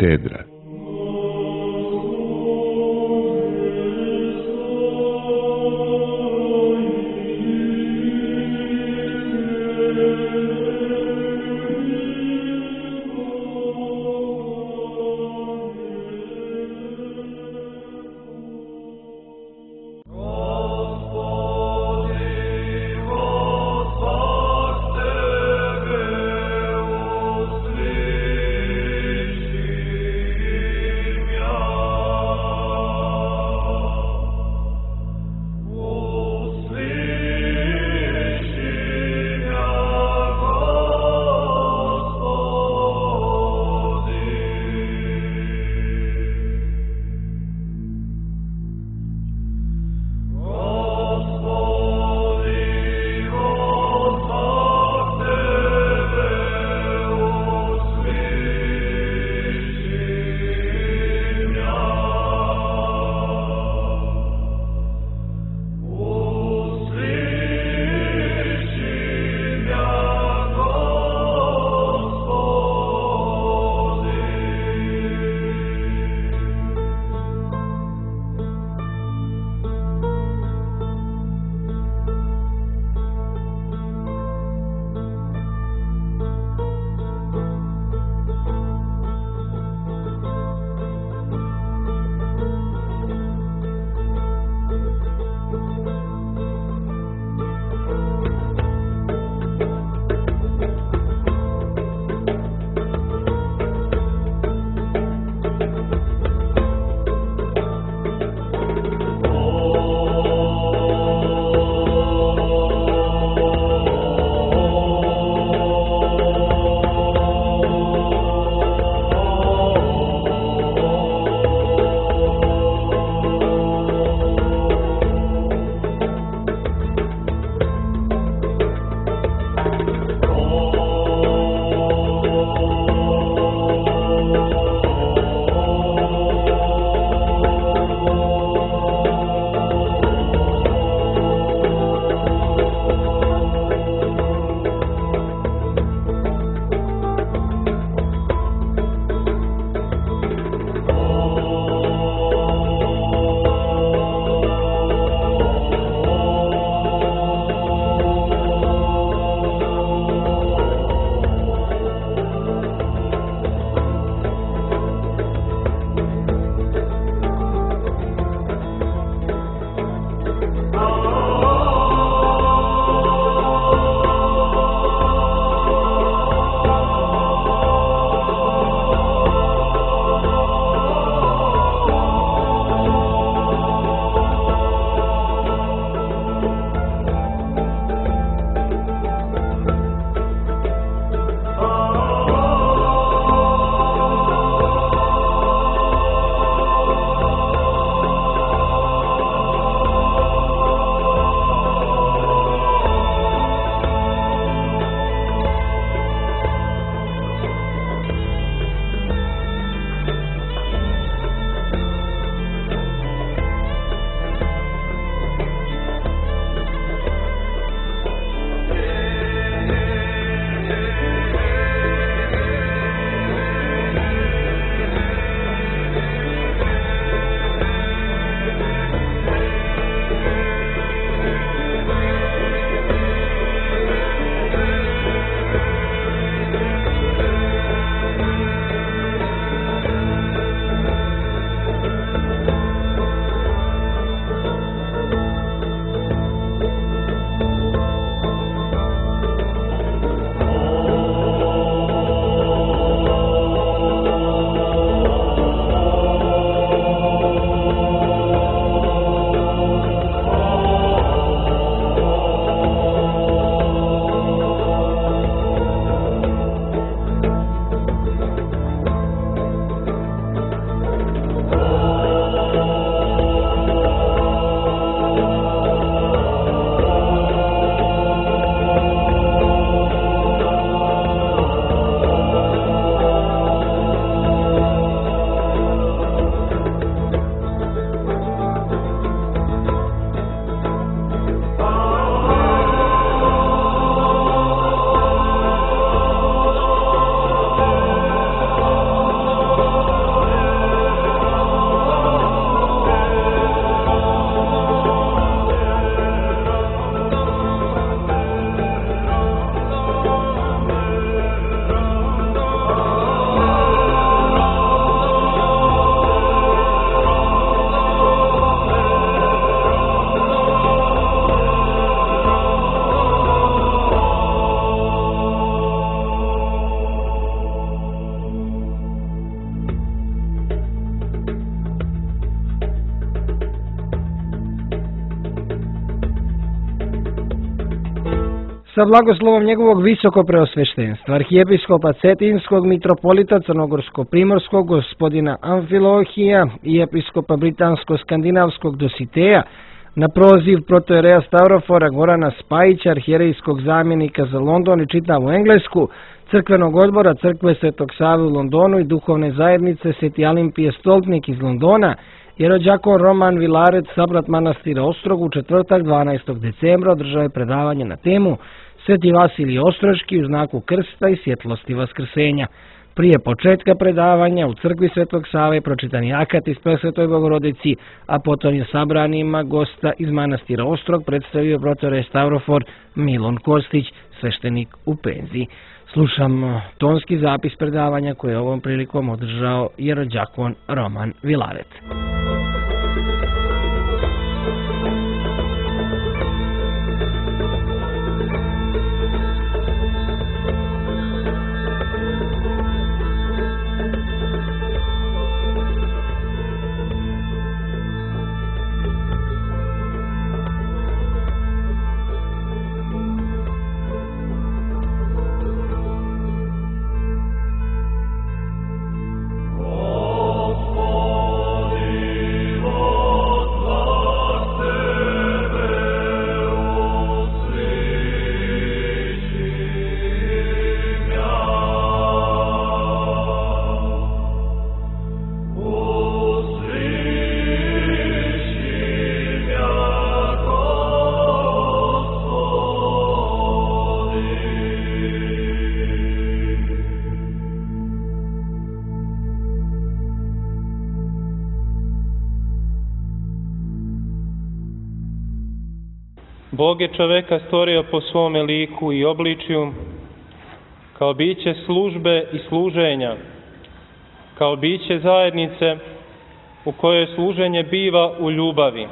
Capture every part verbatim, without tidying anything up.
katedra. sa blagoslovom njegovog visoko preosveštenstva, arhijepiskopa Cetinskog, mitropolita Crnogorsko-primorskog, gospodina Amfilohija i episkopa Britansko-skandinavskog Dositeja, na proziv protojereja Stavrofora Gorana Spajića, arhijerejskog zamjenika za London i čitavu Englesku, crkvenog odbora Crkve Svetog Save u Londonu i duhovne zajednice Sveti Alimpije Stolpnik iz Londona, jerođakon Roman Vilaret, sabrat manastira Ostrog, u četvrtak dvanaestog decembra održao je predavanje na temu Sveti Vasilij Ostroški u znaku krsta i svjetlosti vaskrsenja. Prije početka predavanja u crkvi Svetog Save pročitan je akat iz Presvetoj Bogorodici, a potom je sabranima gosta iz manastira Ostrog predstavio protojerej Stavrofor Milon Kostić, sveštenik u penziji. Slušam tonski zapis predavanja koje je ovom prilikom održao jerođakon Roman Vilaret. Bog je čoveka stvorio po svome liku i obličju, kao biće službe i služenja, kao biće zajednice u kojoj služenje biva u ljubavi.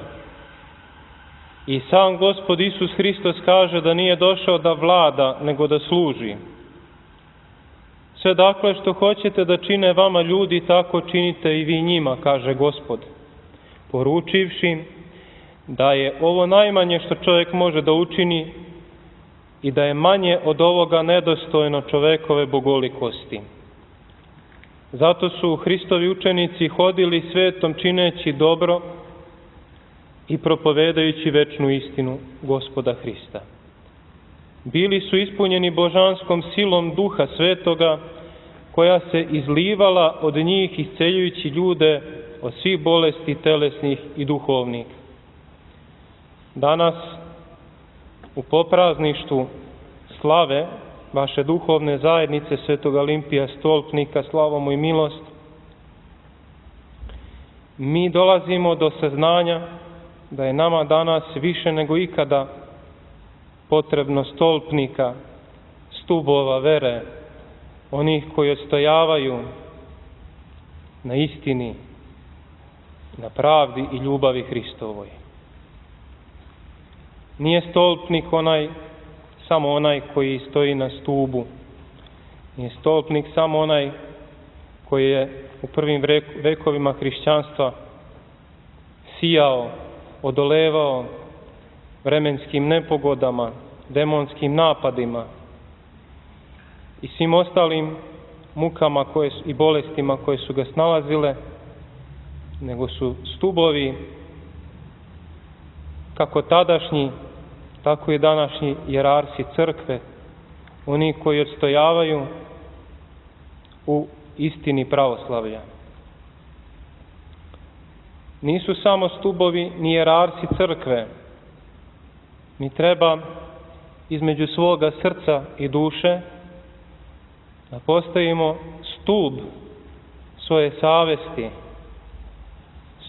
I sam Gospod Isus Hristos kaže da nije došao da vlada, nego da služi. Sve dakle što hoćete da čine vama ljudi, tako činite i vi njima, kaže Gospod, poručivši da je ovo najmanje što čovjek može da učini i da je manje od ovoga nedostojno čovekove bogolikosti. Zato su Hristovi učenici hodili svetom čineći dobro i propovedajući večnu istinu Gospoda Hrista. Bili su ispunjeni božanskom silom Duha Svetoga, koja se izlivala od njih isceljujući ljude od svih bolesti telesnih i duhovnih. Danas, u poprazništvu slave vaše duhovne zajednice Svetog Alimpija Stolpnika, slava mu i milost, mi dolazimo do saznanja da je nama danas više nego ikada potrebno stolpnika, stubova vere, onih koji odstojavaju na istini, na pravdi i ljubavi Hristovoj. Nije stolpnik onaj, samo onaj koji stoji na stubu. Nije stolpnik samo onaj koji je u prvim vekovima hrišćanstva sijao, odolevao vremenskim nepogodama, demonskim napadima i svim ostalim mukama koje, i bolestima koje su ga snalazile, nego su stubovi kako tadašnji, tako i današnji jerarsi crkve, oni koji odstojavaju u istini pravoslavlja. Nisu samo stubovi ni jerarsi crkve. Mi treba između svoga srca i duše da postavimo stub svoje savesti,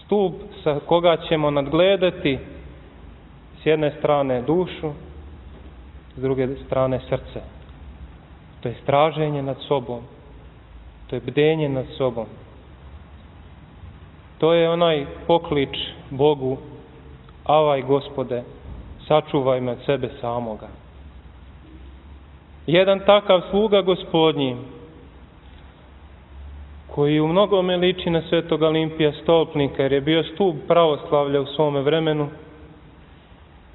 stub sa koga ćemo nadgledati s jedne strane dušu, s druge strane srce. To je straženje nad sobom, to je bdenje nad sobom. To je onaj poklič Bogu: avaj Gospode, sačuvaj me od sebe samoga. Jedan takav sluga Gospodnji, koji u mnogome liči na Svetog Alimpija Stolpnika, jer je bio stub pravoslavlja u svome vremenu,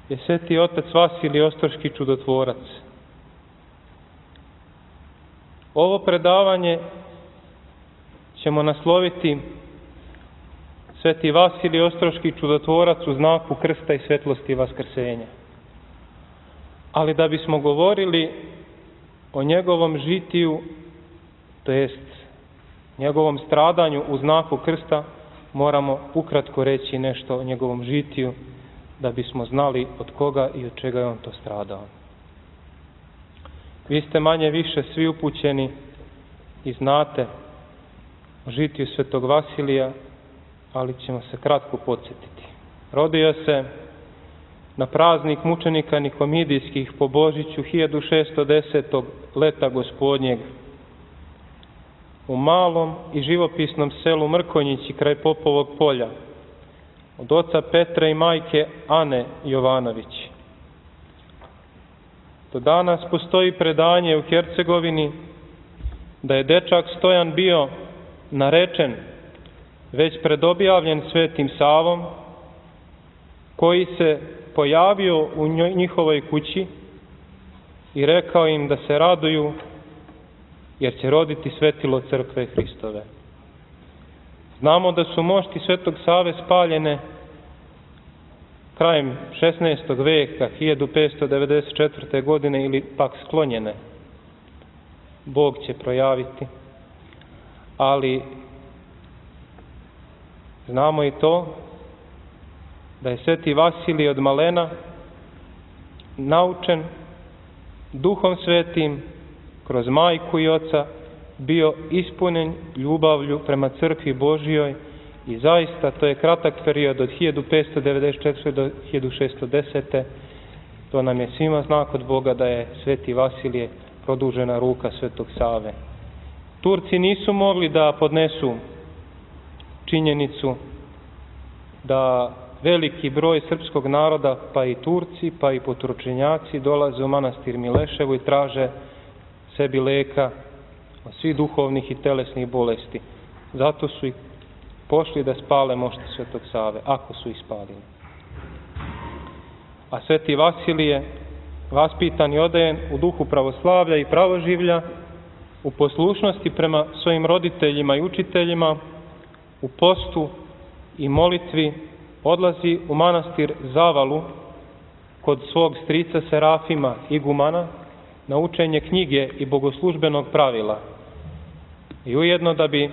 je sveti otac Vasilij Ostroški čudotvorac. Ovo predavanje ćemo nasloviti Sveti Vasilij Ostroški čudotvorac u znaku krsta i svetlosti vaskrsenja. Ali da bismo govorili o njegovom žitiju, to jest njegovom stradanju u znaku krsta, moramo ukratko reći nešto o njegovom žitiju, da bismo znali od koga i od čega je on to stradao. Vi ste manje više svi upućeni i znate o žitiju svetog Vasilija, ali ćemo se kratko podsjetiti. Rodio se na praznik mučenika Nikomidijskih po Božiću hiljadu šesto desetog leta gospodnjeg u malom i živopisnom selu Mrkonjići kraj Popovog polja od oca Petra i majke Ane Jovanović. Do danas postoji predanje u Hercegovini da je dečak Stojan bio narečen, već predobjavljen Svetim Savom, koji se pojavio u njihovoj kući i rekao im da se raduju jer će roditi svetilo crkve Hristove. Znamo da su mošti Svetog Save spaljene krajem šesnaestog veka, hiljadu petsto devedeset četvrte. godine, ili pak sklonjene. Bog će projaviti. Ali znamo i to da je Sveti Vasilij od malena naučen Duhom Svetim kroz majku i oca bio ispunjen ljubavlju prema crkvi Božijoj i zaista to je kratak period od hiljadu petsto devedeset četvrte. do hiljadu šesto desete. To nam je svima znak od Boga da je Sveti Vasilije produžena ruka Svetog Save. Turci nisu mogli da podnesu činjenicu da veliki broj srpskog naroda, pa i Turci, pa i poturčenjaci, dolaze u manastir Mileševo i traže sebi leka od svih duhovnih i telesnih bolesti. Zato su i pošli da spale mošti Svetog Save, ako su ih spalili. A Sveti Vasilije, vaspitan i odajen u duhu pravoslavlja i pravoživlja, u poslušnosti prema svojim roditeljima i učiteljima, u postu i molitvi, odlazi u manastir Zavalu kod svog strica Serafima igumana na učenje knjige i bogoslužbenog pravila. I ujedno da bi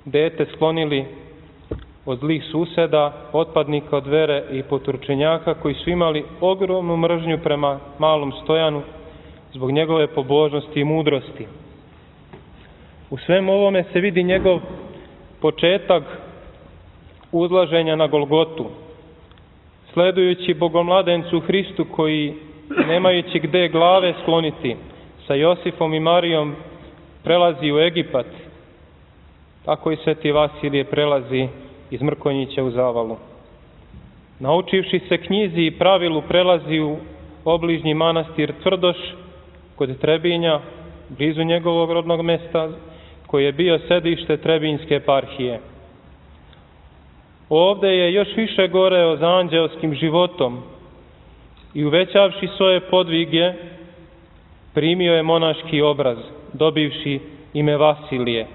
dete sklonili od zlih suseda, otpadnika od vere i poturčenjaka koji su imali ogromnu mržnju prema malom Stojanu zbog njegove pobožnosti i mudrosti. U svemu ovome se vidi njegov početak uzlaženja na Golgotu, sledujući Bogomladencu Hristu koji, nemajući gde glave skloniti, sa Josifom i Marijom prelazi u Egipat. Tako i Sveti Vasilije prelazi iz Mrkonjića u Zavalu. Naučivši se knjizi i pravilu, prelazi u obližnji manastir Tvrdoš kod Trebinja, blizu njegovog rodnog mesta, koji je bio sedište Trebinjske eparhije. Ovde je još više goreo za anđelskim životom i uvećavši svoje podvige, primio je monaški obraz, dobivši ime Vasilije,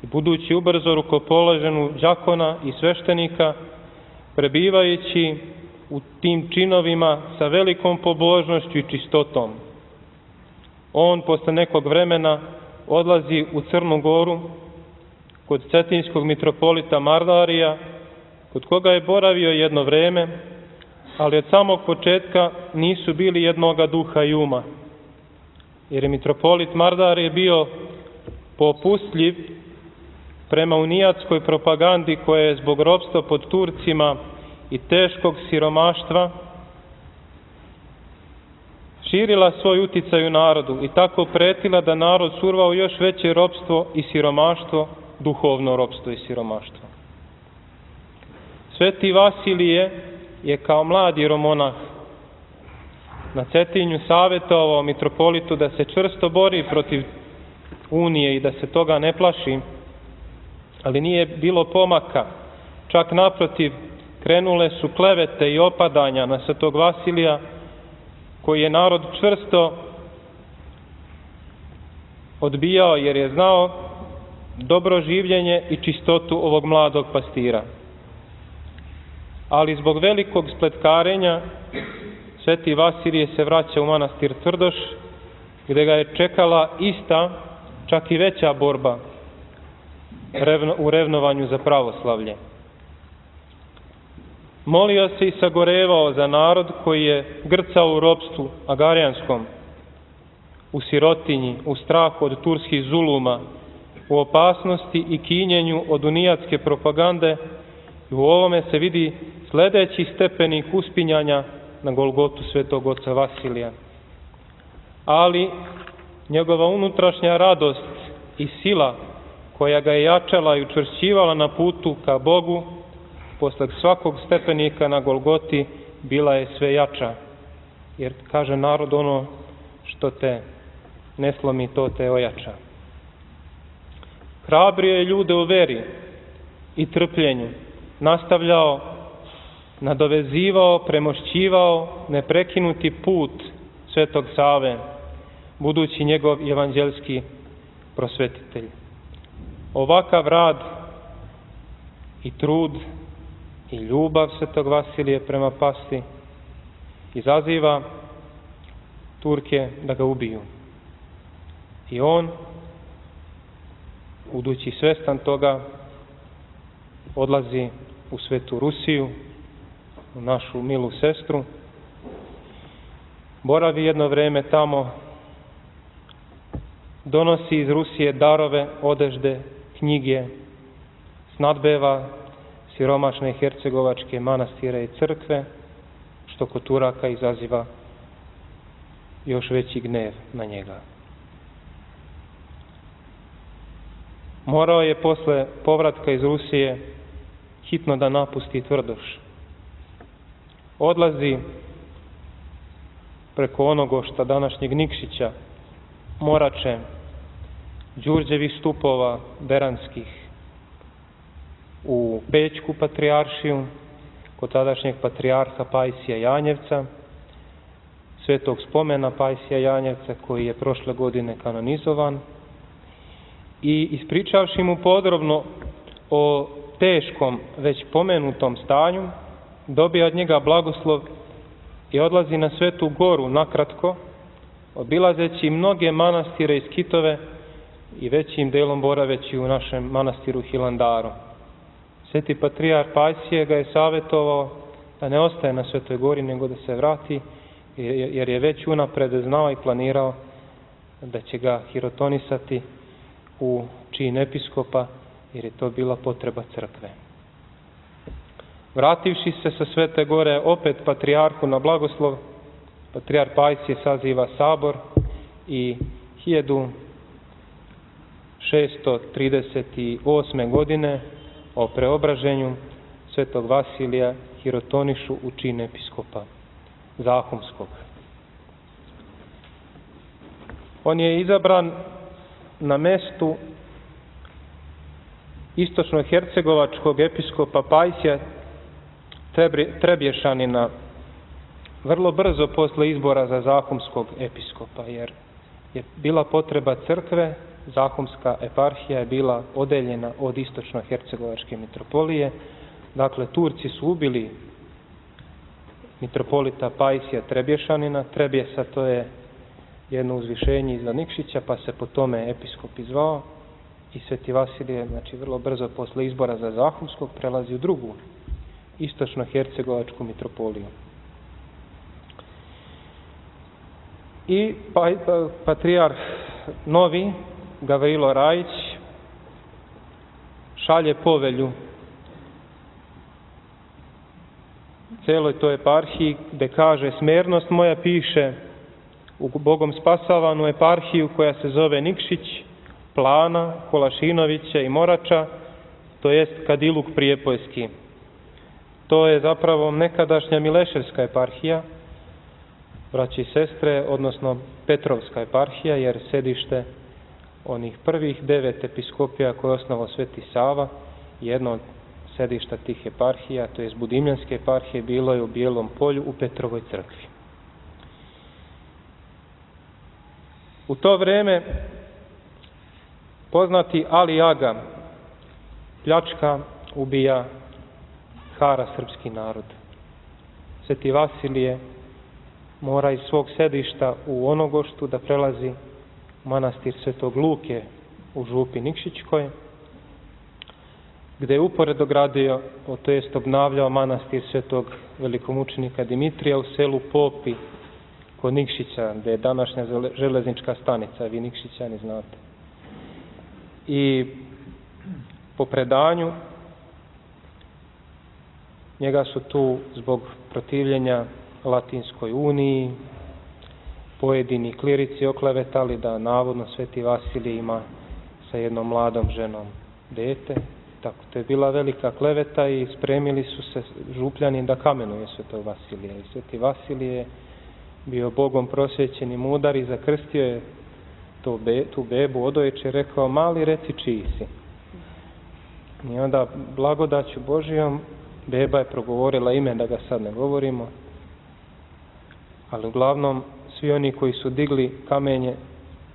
i budući ubrzo rukopoložen u đakona i sveštenika, prebivajući u tim činovima sa velikom pobožnošću i čistotom. On posle nekog vremena odlazi u Crnu Goru kod cetinskog mitropolita Mardarija, kod koga je boravio jedno vreme, ali od samog početka nisu bili jednoga duha i uma, jer je mitropolit Mardarije bio popustljiv prema unijatskoj propagandi koja je zbog ropstva pod Turcima i teškog siromaštva širila svoj uticaj u narodu i tako pretila da narod surva u još veće ropstvo i siromaštvo, duhovno ropstvo i siromaštvo. Sveti Vasilije je kao mlad jeromonah na Cetinju savjetovao mitropolitu da se čvrsto bori protiv unije i da se toga ne plaši, ali nije bilo pomaka. Čak naprotiv, krenule su klevete i opadanja na Svetog Vasilija, koji je narod čvrsto odbijao jer je znao dobro življenje i čistotu ovog mladog pastira. Ali zbog velikog spletkarenja sveti Vasilije se vraća u manastir Tvrdoš, gdje ga je čekala ista, čak i veća borba u revnovanju za pravoslavlje. Molio se i sagorevao za narod koji je grcao u ropstvu agarijanskom, u sirotinji, u strahu od turskih zuluma, u opasnosti i kinjenju od unijatske propagande, i u ovome se vidi sljedeći stepenik uspinjanja na Golgotu svetog oca Vasilija. Ali njegova unutrašnja radost i sila koja ga je jačala i učvršćivala na putu ka Bogu, posle svakog stepenika na Golgoti bila je sve jača. Jer kaže narod, ono što te ne slomi, to te ojača. Hrabrio je ljude u veri i trpljenju, nastavljao, nadovezivao, premošćivao neprekinuti put svetog Save, budući njegov evanđelski prosvetitelj. Ovakav rad i trud i ljubav svetog Vasilije prema pasti izaziva Turke da ga ubiju. I on, budući svestan toga, odlazi u svetu Rusiju, u našu milu sestru, boravi jedno vrijeme tamo, donosi iz Rusije darove, odežde, knjige, snadbeva siromašne hercegovačke manastire i crkve, što kod Turaka izaziva još veći gnev na njega. Morao je posle povratka iz Rusije hitno da napusti Tvrdoš. Odlazi preko onogo šta današnjeg Nikšića, Morače, Đurđevih stupova beranskih u Pećku patrijaršiju, kod tadašnjeg patrijarha Pajsija Janjevca, svetog spomena Pajsija Janjevca koji je prošle godine kanonizovan, i ispričavši mu podrobno o teškom, već pomenutom stanju, dobija od njega blagoslov i odlazi na Svetu Goru nakratko, obilazeći mnoge manastire i skitove i većim delom boraveći u našem manastiru Hilandaru. Sveti patrijarh Pajsije ga je savjetovao da ne ostaje na Svetoj Gori, nego da se vrati, jer je već unapred znao i planirao da će ga hirotonisati u čin episkopa, jer je to bila potreba crkve. Vrativši se sa Svete Gore opet patrijarhu na blagoslov, patrijarh Pajsije saziva sabor i hiljadu šesto trideset osme. godine o preobraženju svetog Vasilija hirotonišu u čin episkopa Zahumskog. On je izabran na mestu istočno-hercegovačkog episkopa Pajsija Trebješanina vrlo brzo posle izbora za Zahumskog episkopa, jer je bila potreba crkve. Zahumska eparhija je bila odeljena od istočno-hercegovačke mitropolije. Dakle, Turci su ubili mitropolita Pajsija Trebješanina. Trebjesa, to je jedno uzvišenje iza Nikšića, pa se po tome episkop izvao, i sveti Vasilije, znači vrlo brzo posle izbora za Zahumskog, prelazi u drugu istočno-hercegovačku mitropoliju. I pa, pa, patrijarh novi, Gavrilo Rajić, šalje povelju celoj toj eparhiji, gde kaže: smernost moja piše u Bogom spasavanu eparhiju koja se zove Nikšić, Plana, Kolašinovića i Morača, to jest Kadiluk Prijepojski. To je zapravo nekadašnja Mileševska eparhija, braći i sestre, odnosno Petrovska eparhija, jer sedište onih prvih devet episkopija koje je osnovao Sveti Sava, jedno od sedišta tih eparhija, to jest Budimljanske eparhije, bilo je u Bijelom Polju u Petrovoj crkvi. U to vreme Poznati Ali Aga pljačka, ubija, hara srpski narod. Sveti Vasilije mora iz svog sedišta u Onogoštu da prelazi u manastir Svetog Luke u Župi Nikšićkoj, gde je uporedo gradio, to jest obnavljao manastir Svetog velikomučenika Dimitrija u selu Popi kod Nikšića, gde je današnja železnička stanica, vi Nikšićani znate. I po predanju njega su tu zbog protivljenja Latinskoj uniji pojedini klirici oklevetali da navodno Sveti Vasilije ima sa jednom mladom ženom dete. Tako, to je bila velika kleveta i spremili su se Župljani da kamenuje Svetog Vasilija. I Sveti Vasilije je bio Bogom prosvećen i mudar i zakrstio je to be, tu bebu odoječe, rekao: mali, reci čiji si. I onda blagodaću Božijom beba je progovorila ime, da ga sad ne govorimo, ali uglavnom svi oni koji su digli kamenje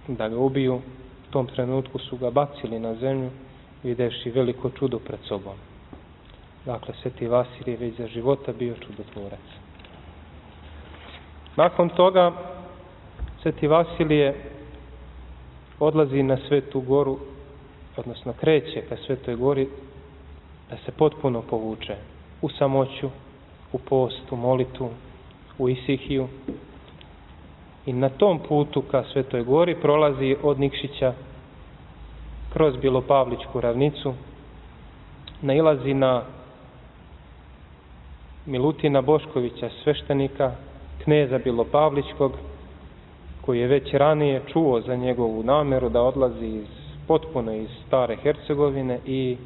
da ga ubiju, u tom trenutku su ga bacili na zemlju, videvši veliko čudo pred sobom. Dakle, Sveti Vasilije već za života bio čudotvorac. Nakon toga Sveti Vasilije odlazi na Svetu goru, odnosno kreće ka Svetoj gori da se potpuno povuče u samoću, u postu, molitvu, u isihiju. I na tom putu ka Svetoj gori prolazi od Nikšića kroz Bilopavlićku ravnicu, nailazi na Milutina Boškovića, sveštenika, kneza Bilopavlićkog, koji je već ranije čuo za njegovu nameru da odlazi iz, potpuno iz stare Hercegovine, i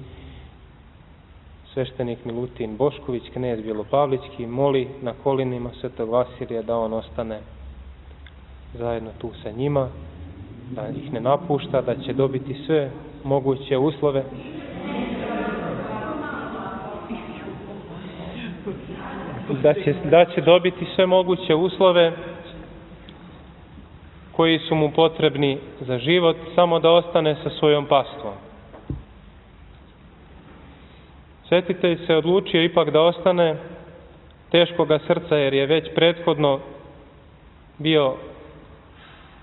sveštenik Milutin Bošković, knez Bilopavlićki, moli na kolinima Svetog Vasilija da on ostane zajedno tu sa njima, da ih ne napušta, da će dobiti sve moguće uslove da će, da će dobiti sve moguće uslove koji su mu potrebni za život, samo da ostane sa svojom pastvom. Svetitelj se odlučio ipak da ostane, teškoga srca, jer je već prethodno bio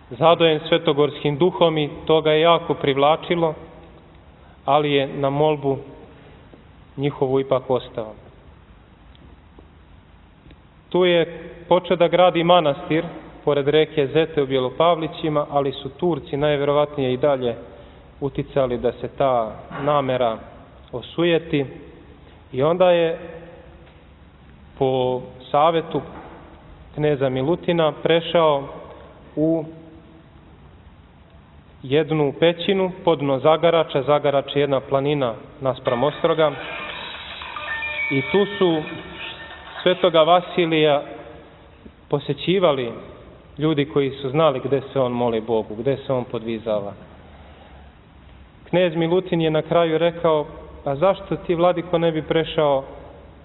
zadojen svetogorskim duhom i to ga je jako privlačilo, ali je na molbu njihovu ipak ostao. Tu je počeo da gradi manastir pored reke Zete u Bjelopavlićima, ali su Turci najverovatnije i dalje uticali da se ta namera osujeti, i onda je po savetu kneza Milutina prešao u jednu pećinu podno Zagarača. Zagarač je jedna planina naspram Ostroga, i tu su Svetoga Vasilija posećivali ljudi koji su znali gde se on moli Bogu, gde se on podvizava. Knez Milutin je na kraju rekao: a zašto ti, vladiko, ne bi prešao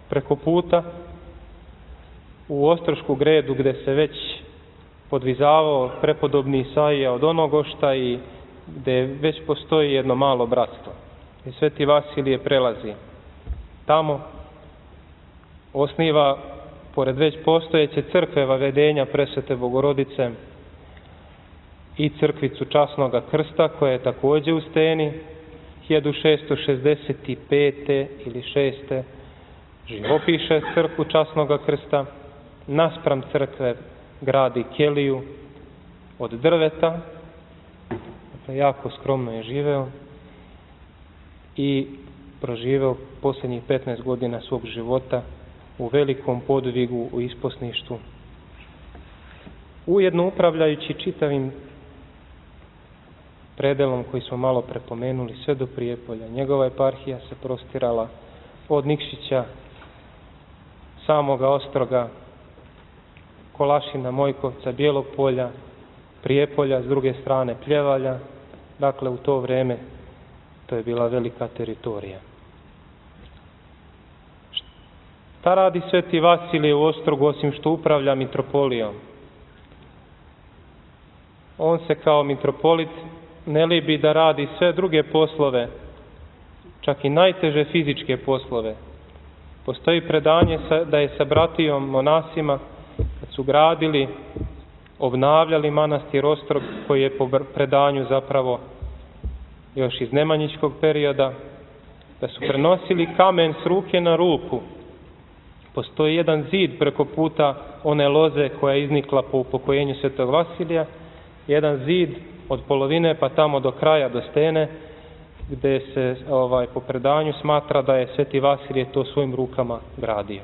preko puta u Ostrošku gredu, gde se već podvizavao prepodobni Isaija od Onogošta i gde već postoji jedno malo bratstvo. I Sveti Vasilije prelazi tamo, osniva pored već postojeće crkve Vavedenja Presvete Bogorodice i crkvicu Časnoga Krsta, koja je takođe u steni. hiljadu šesto šezdeset pete ili šeste živopiše crkvu Časnoga Krsta. Naspram crkve gradi keliju od drveta, dakle jako skromno je živeo i proživeo posljednjih petnaest godina svog života u velikom podvigu, u isposništvu, ujedno upravljajući čitavim predelom koji smo malo prepomenuli sve do Prijepolja. Njegova eparhija se prostirala od Nikšića, samoga Ostroga, Kolašina, Mojkovca, Bijelog Polja, Prijepolja, s druge strane Pljevalja. Dakle, u to vreme to je bila velika teritorija. Šta radi Sveti Vasilije u Ostrogu osim što upravlja mitropolijom? On se kao mitropolit ne libi da radi sve druge poslove, čak i najteže fizičke poslove. Postoji predanje da je sa bratijom monasima, kad su gradili, obnavljali manastir Ostrog, koji je po predanju zapravo još iz nemanjičkog perioda, da su prenosili kamen s ruke na ruku. Postoji jedan zid preko puta one loze koja je iznikla po upokojenju Svetog Vasilija, jedan zid od polovine pa tamo do kraja, do stene, gde se ovaj, po predanju smatra da je Sveti Vasilije to svojim rukama gradio.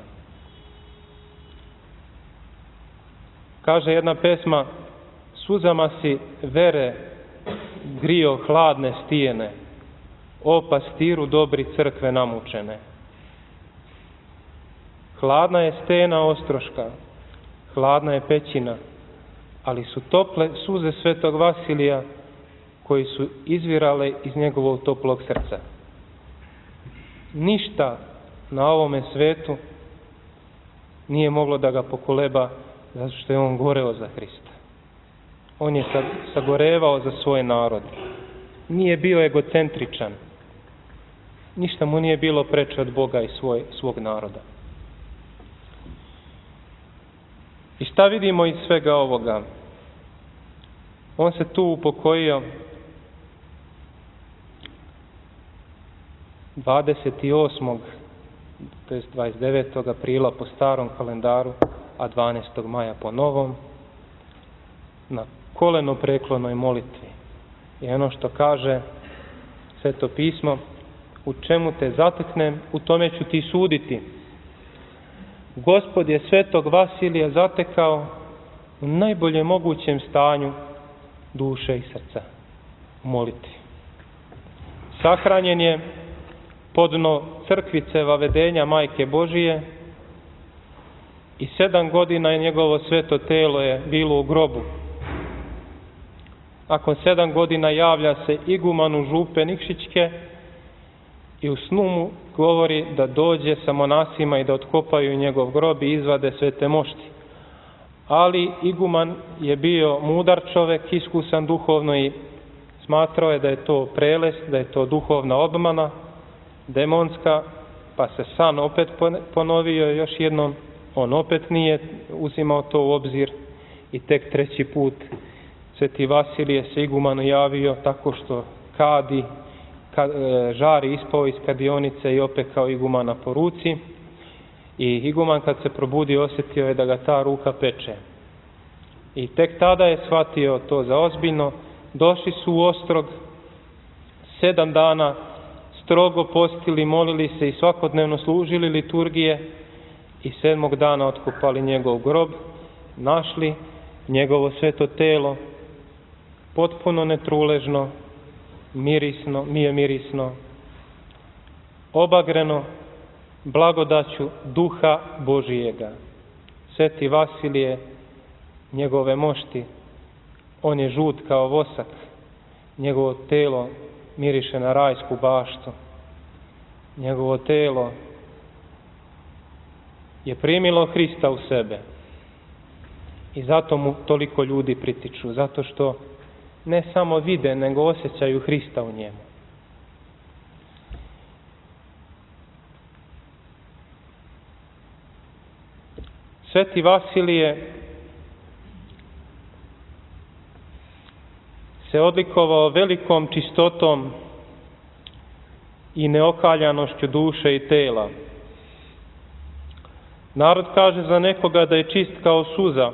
Kaže jedna pesma: suzama si vere grio hladne stijene, o pastiru dobri crkve namučene. Hladna je stena Ostroška, hladna je pećina, ali su tople suze Svetog Vasilija koji su izvirale iz njegovog toplog srca. Ništa na ovome svetu nije moglo da ga pokoleba, zato što je on goreo za Hrista. On je sagorevao za svoj narod. Nije bio egocentričan. Ništa mu nije bilo preče od Boga i svoj, svog naroda. I šta vidimo iz svega ovoga? On se tu upokojio dvadeset osmog to jest dvadeset devetog aprila po starom kalendaru, a dvanaestog maja po novom, na koleno preklonoj molitvi. I ono što kaže Sveto pismo: u čemu te zateknem, u tome ću ti suditi. Gospod je Svetog Vasilija zatekao u najboljem mogućem stanju duše i srca, u molitvi. Sahranjen je podno crkvice Vavedenja Majke Božije i sedam godina je njegovo sveto telo je bilo u grobu. Nakon sedam godina javlja se igumanu župe Nikšićke i u snu mu govori da dođe sa monasima i da otkopaju njegov grob i izvade svete mošti. Ali iguman je bio mudar čovek, iskusan duhovno i smatrao je da je to prelest, da je to duhovna obmana, demonska, pa se san opet ponovio još jednom. On opet nije uzimao to u obzir i tek treći put Sveti Vasilije se igumanu javio tako što kadi, žari ispao iz kadionice i opekao igumana po ruci. I iguman kad se probudio osjetio je da ga ta ruka peče. I tek tada je shvatio to za ozbiljno. Došli su u Ostrog, sedam dana strogo postili, molili se i svakodnevno služili liturgije i sedmog dana otkopali njegov grob, našli njegovo sveto telo, potpuno netruležno, mirisno, mije mirisno, obagreno blagodaću Duha Božijega. Sveti Vasilije, njegove mošti, on je žut kao vosak, njegovo telo miriše na rajsku baštu, njegovo telo je primilo Hrista u sebe i zato mu toliko ljudi pritiču, zato što ne samo vide, nego osjećaju Hrista u njemu. Sveti Vasilije se odlikovao velikom čistotom i neokaljanošću duše i tela. Narod kaže za nekoga da je čist kao suza,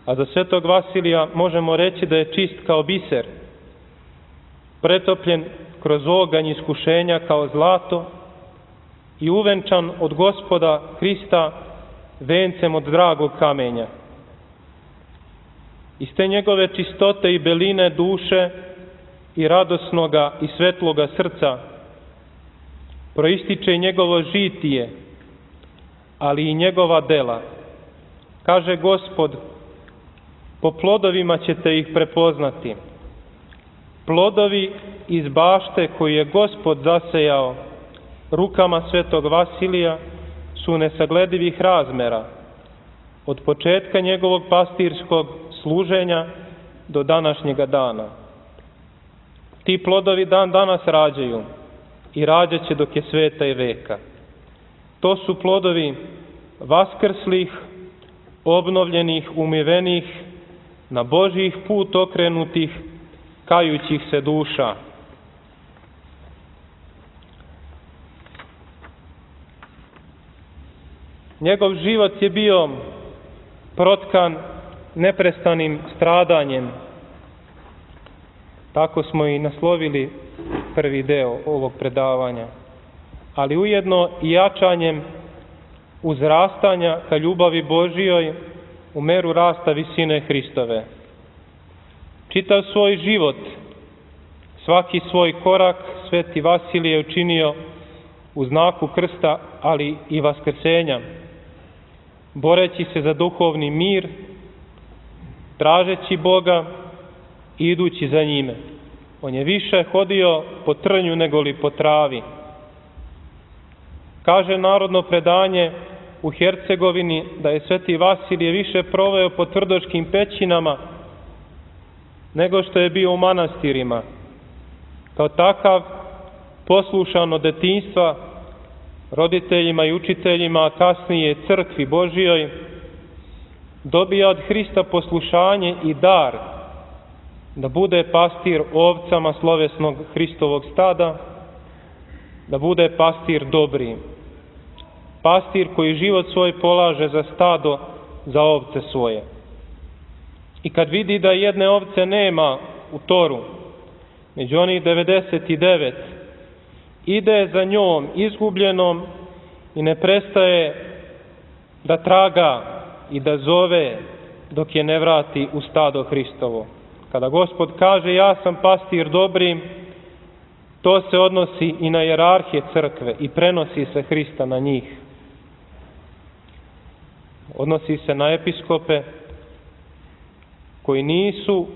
a za Svetog Vasilija možemo reći da je čist kao biser, pretopljen kroz oganj iskušenja kao zlato i uvenčan od Gospoda Hrista vencem od dragog kamenja. Iz te njegove čistote i beline duše i radosnoga i svetloga srca proističe njegovo žitije, ali i njegova dela. Kaže Gospod: po plodovima ćete ih prepoznati. Plodovi iz bašte koju je Gospod zasejao rukama Svetog Vasilija su nesagledivih razmera, od početka njegovog pastirskog služenja do današnjega dana. Ti plodovi dan danas rađaju i rađat će dok je sveta i veka. To su plodovi vaskrslih, obnovljenih, umivenih, na Božjih put okrenutih, kajućih se duša. Njegov život je bio protkan neprestanim stradanjem. Tako smo i naslovili prvi deo ovog predavanja. Ali ujedno i jačanjem uzrastanja ka ljubavi Božjoj u meru rasta visine Hristove. Čitav svoj život, svaki svoj korak Sveti Vasilije je učinio u znaku krsta, ali i vaskrsenja, boreći se za duhovni mir, tražeći Boga i idući za njime. On je više hodio po trnju nego li po travi. Kaže narodno predanje u Hercegovini da je Sveti Vasilije više proveo po tvrdoškim pećinama nego što je bio u manastirima. Kao takav, poslušan od detinjstva roditeljima i učiteljima, a kasnije crkvi Božjoj, dobija od Hrista poslušanje i dar da bude pastir ovcama slovesnog Hristovog stada, da bude pastir dobri, pastir koji život svoj polaže za stado, za ovce svoje. I kad vidi da jedne ovce nema u toru, među onih devedeset devet, ide za njom izgubljenom i ne prestaje da traga i da zove dok je ne vrati u stado Hristovo. Kada Gospod kaže ja sam pastir dobri, to se odnosi i na hijerarhije crkve i prenosi se Hrista na njih. Odnosi se na episkope koji nisu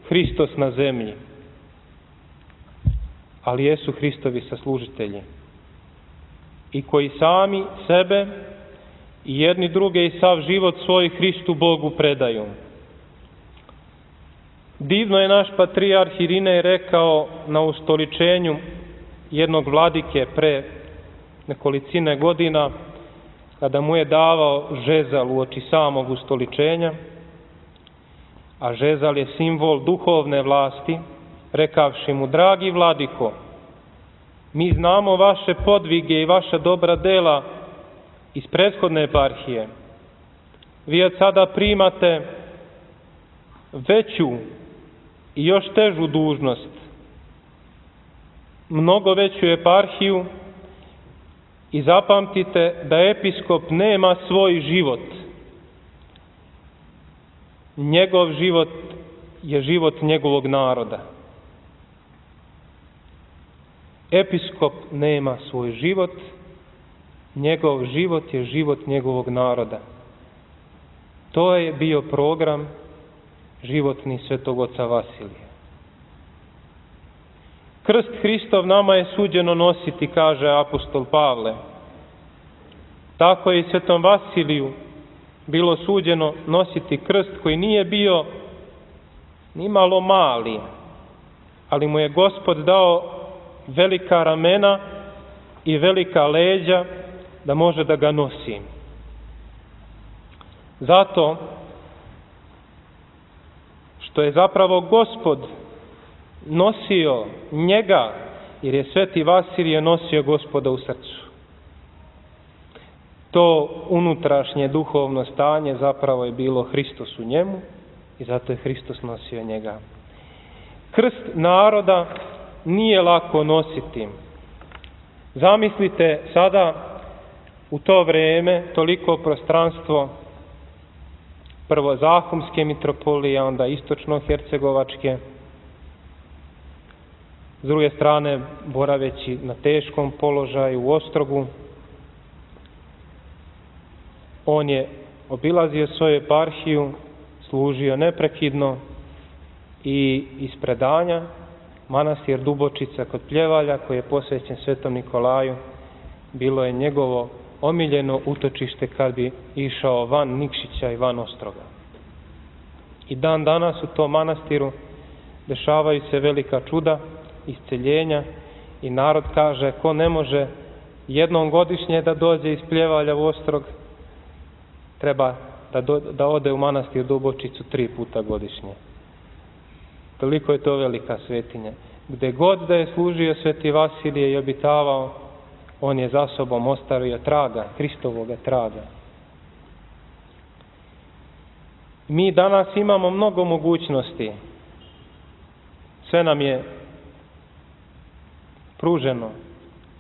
Hristos na zemlji, ali jesu Hristovi saslužitelji i koji sami sebe i jedni druge i sav život svoj Hristu Bogu predaju. Divno je naš patrijarh Irinej rekao na ustoličenju jednog vladike pre nekolicine godina, kada mu je davao žezal uoči samog ustoličenja, a žezal je simbol duhovne vlasti, rekavši mu: dragi vladiko, mi znamo vaše podvige i vaša dobra dela iz prethodne eparhije. Vi od sada primate veću i još težu dužnost, mnogo veću eparhiju, i zapamtite da episkop nema svoj život. Njegov život je život njegovog naroda. Episkop nema svoj život, njegov život je život njegovog naroda. To je bio program životni Svetog oca Vasilija. Krst Hristov nama je suđeno nositi, kaže apostol Pavle. Tako je i Svetom Vasiliju bilo suđeno nositi krst koji nije bio ni malo mali, ali mu je Gospod dao velika ramena i velika leđa da može da ga nosi. Zato što je zapravo Gospod nosio njega, jer je Sveti Vasilije nosio Gospoda u srcu. To unutrašnje duhovno stanje zapravo je bilo Hristos u njemu i zato je Hristos nosio njega. Krst naroda nije lako nositi. Zamislite sada u to vrijeme toliko prostranstvo prvo Zahumske mitropolije, onda istočno-hercegovačke, s druge strane boraveći na teškom položaju u Ostrogu. On je obilazio svoju eparhiju, služio neprekidno i iz predanja manastir Dubočica kod Pljevalja, koji je posvećen Svetom Nikolaju, bilo je njegovo omiljeno utočište kad bi išao van Nikšića i van Ostroga. I dan danas u tom manastiru dešavaju se velika čuda, isceljenja i narod kaže, ko ne može jednom godišnje da dođe iz Pljevalja u Ostrog, treba da, do, da ode u manastir Dubočicu tri puta godišnje. Toliko je to velika svetinja. Gde god da je služio Sveti Vasilije i obitavao, on je za sobom ostavio traga, Hristovoga traga. Mi danas imamo mnogo mogućnosti. Sve nam je pruženo.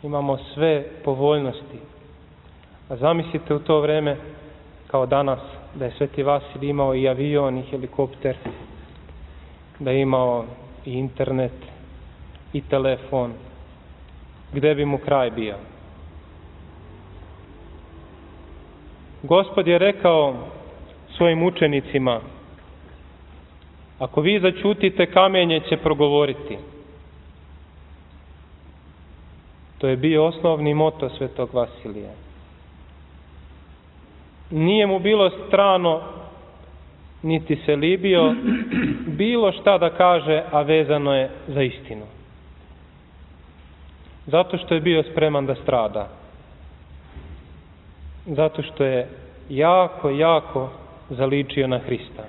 Imamo sve povoljnosti. A zamislite u to vreme, kao danas, da je Sveti Vasilij imao i avion i helikopter, da je imao i internet i telefon, gde bi mu kraj bio. Gospod je rekao svojim učenicima, ako vi zaćutite, kamenje će progovoriti. To je bio osnovni moto Svetog Vasilija. Nije mu bilo strano, niti se libio bilo šta da kaže, a vezano je za istinu. Zato što je bio spreman da strada. Zato što je jako, jako zaličio na Hrista.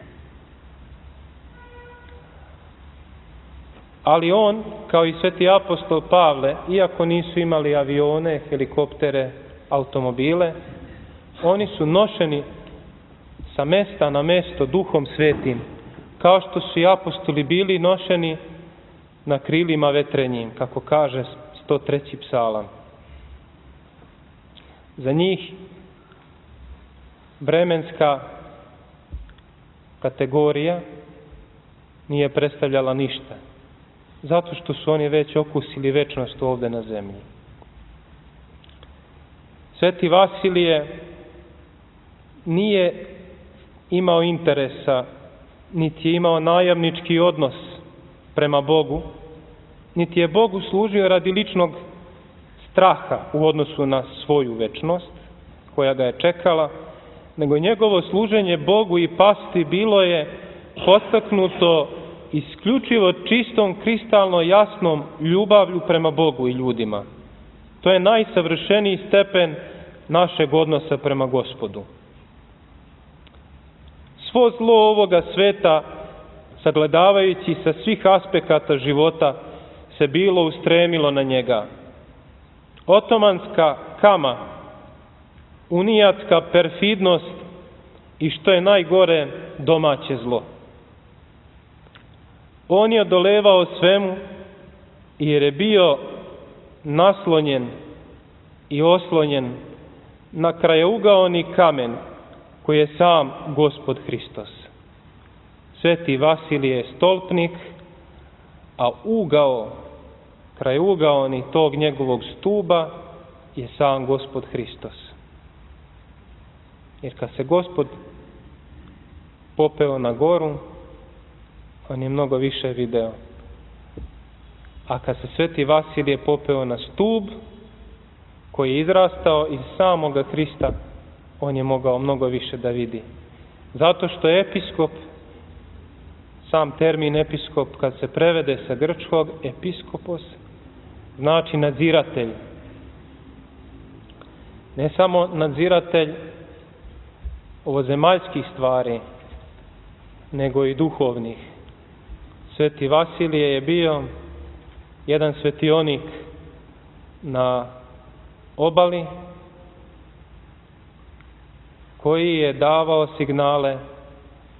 Ali on, kao i sveti apostol Pavle, iako nisu imali avione, helikoptere, automobile, oni su nošeni sa mesta na mesto Duhom Svetim, kao što su i apostoli bili nošeni na krilima vetrenjim, kako kaže sto treći psalam. Za njih vremenska kategorija nije predstavljala ništa, zato što su oni već okusili večnost ovde na zemlji. Sveti Vasilije nije imao interesa, niti je imao najamnički odnos prema Bogu, niti je Bogu služio radi ličnog straha u odnosu na svoju večnost koja ga je čekala, nego njegovo služenje Bogu i pasti bilo je podstaknuto isključivo čistom, kristalno jasnom ljubavlju prema Bogu i ljudima. To je najsavršeniji stepen našeg odnosa prema Gospodu. Svo zlo ovoga sveta, sagledavajući sa svih aspekata života, se bilo ustremilo na njega. Otomanska kama, unijatska perfidnost i, što je najgore, domaće zlo. On je odolevao svemu jer je bio naslonjen i oslonjen na krajeugaoni kamen koji je sam Gospod Hristos. Sveti Vasilije je stolpnik, a ugao, krajeugaoni tog njegovog stuba je sam Gospod Hristos. Jer kad se Gospod popeo na goru, on je mnogo više video. A kad se Sveti Vasilije popeo na stub, koji je izrastao iz samoga Hrista, on je mogao mnogo više da vidi. Zato što je episkop, sam termin episkop, kad se prevede sa grčkog, episkopos, znači nadziratelj. Ne samo nadziratelj ovozemaljskih stvari, nego i duhovnih. Sveti Vasilije je bio jedan svetionik na obali koji je davao signale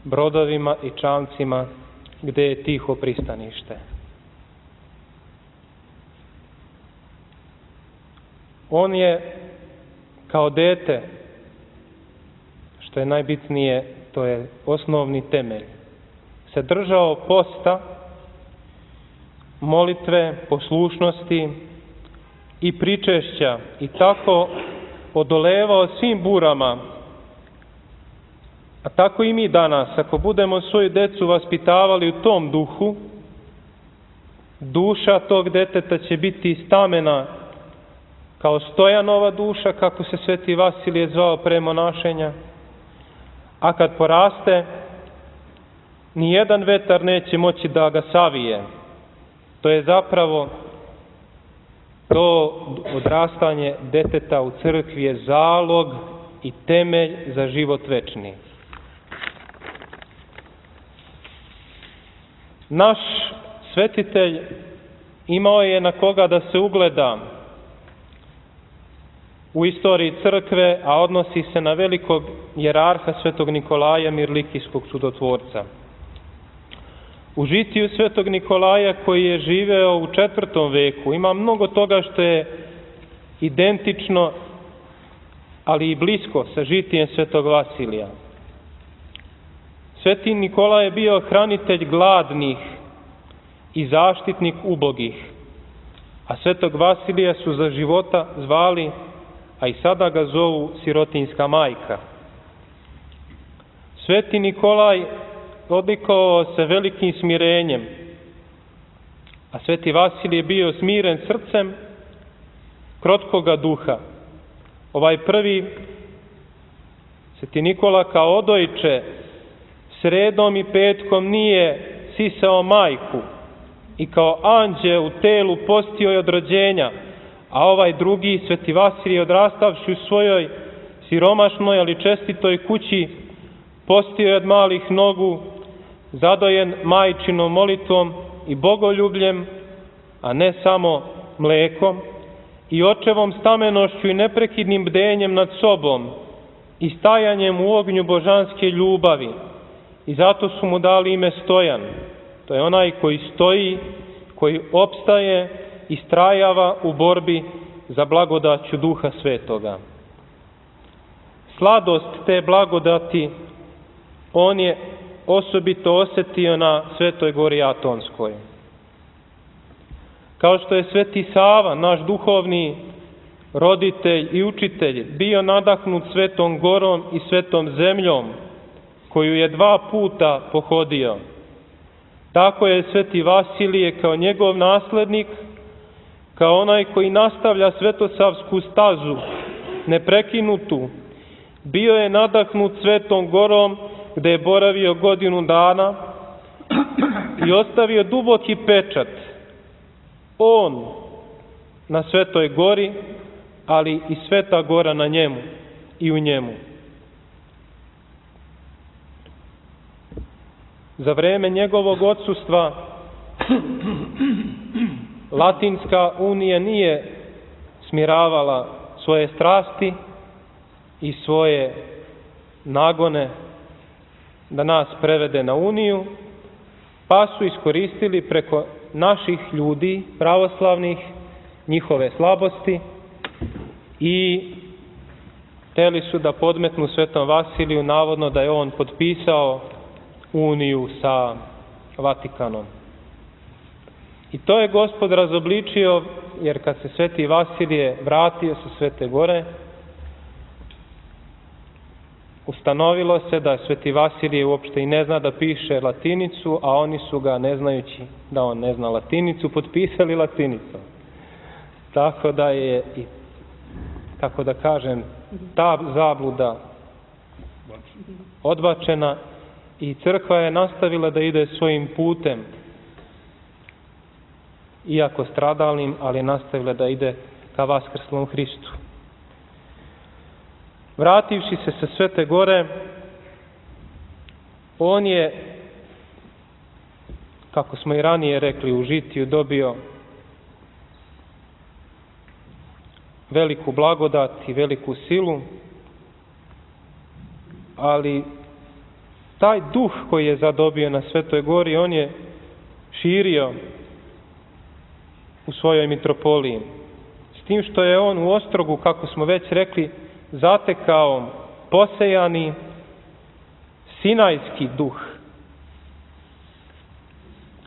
brodovima i čamcima gde je tiho pristanište. On je kao dete, što je najbitnije, to je osnovni temelj, se držao posta, molitve, poslušnosti i pričešća i tako odolevao svim burama. A tako i mi danas, ako budemo svoju decu vaspitavali u tom duhu, duša tog deteta će biti stamena kao Stojanova duša, kako se Sveti Vasilije zvao pre monašenja, a kad poraste, nijedan vetar neće moći da ga savije, To je zapravo to odrastanje deteta u crkvi je zalog i temelj za život večni. Naš svetitelj imao je na koga da se ugleda u istoriji crkve, a odnosi se na velikog jerarha svetog Nikolaja Mirlikijskog čudotvorca. U žitiju svetog Nikolaja koji je živeo u četvrtom veku ima mnogo toga što je identično, ali i blisko sa žitijem svetog Vasilija. Sveti Nikolaj je bio hranitelj gladnih i zaštitnik ubogih, a svetog Vasilija su za života zvali, a i sada ga zovu sirotinjska majka. Sveti Nikolaj odlikovao se velikim smirenjem, a sveti Vasilij je bio smiren srcem, krotkoga duha. Ovaj prvi, sveti Nikola kao odojče, sredom i petkom nije sisao majku i kao anđeo u telu postio je od rođenja, a ovaj drugi, sveti Vasilij, odrastavši u svojoj siromašnoj, ali čestitoj kući, postio je od malih nogu, zadojen majčinom molitvom i bogoljubljem, a ne samo mlekom, i očevom stamenošću i neprekidnim bdenjem nad sobom i stajanjem u ognju božanske ljubavi. I zato su mu dali ime Stojan. To je onaj koji stoji, koji opstaje i istrajava u borbi za blagodaću Duha Svetoga. Sladost te blagodati on je osobito osetio na Svetoj gori Atonskoj. Kao što je sveti Sava, naš duhovni roditelj i učitelj, bio nadahnut Svetom gorom i svetom zemljom, koju je dva puta pohodio, tako je sveti Vasilije kao njegov naslednik, kao onaj koji nastavlja svetosavsku stazu, neprekinutu, bio je nadahnut Svetom gorom, gde je boravio godinu dana i ostavio duboki pečat. On na Svetoj gori, ali i Sveta gora na njemu i u njemu. Za vreme njegovog odsustva Latinska unija nije smiravala svoje strasti i svoje nagone da nas prevede na uniju, pa su iskoristili preko naših ljudi, pravoslavnih, njihove slabosti i hteli su da podmetnu Svetom Vasiliju, navodno da je on potpisao uniju sa Vatikanom. I to je Gospod razobličio, jer kad se sveti Vasilije vratio sa Svete gore, ustanovilo se da sveti Vasilije uopšte i ne zna da piše latinicu, a oni su ga, ne znajući da on ne zna latinicu, potpisali latinicom. Tako da je, i, kako da kažem, ta zabluda odbačena i crkva je nastavila da ide svojim putem, iako stradalnim, ali nastavila da ide ka vaskrslom Hristu. Vrativši se sa Svete gore, on je, kako smo i ranije rekli, u žitiju dobio veliku blagodat i veliku silu, ali taj duh koji je zadobio na Svetoj gori, on je širio u svojoj mitropoliji. S tim što je on u Ostrogu, kako smo već rekli, zatekao posejani sinajski duh,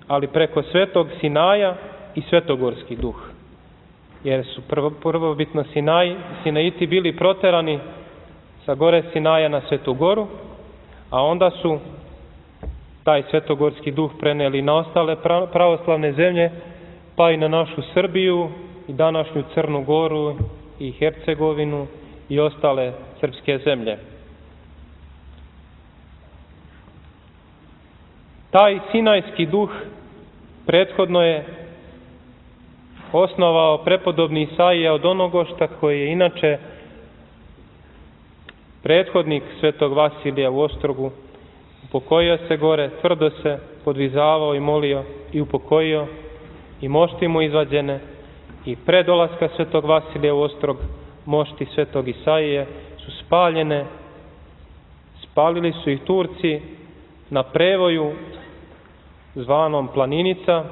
ali preko Svetog Sinaja i svetogorski duh. Jer su prvo, prvobitno Sinaj, Sinajiti bili proterani sa gore Sinaja na Svetu goru, a onda su taj svetogorski duh preneli na ostale pravoslavne zemlje, pa i na našu Srbiju i današnju Crnu Goru i Hercegovinu i ostale srpske zemlje. Taj sinajski duh prethodno je osnovao prepodobni Isaija od Onogošta, koji je inače prethodnik svetog Vasilija u Ostrogu. Upokojio se gore, tvrdo se podvizavao i molio i upokojio, i mošti mu izvađene, i pre dolaska svetog Vasilija u Ostrog mošti svetog Isaije su spaljene. Spalili su ih Turci na prevoju zvanom Planinica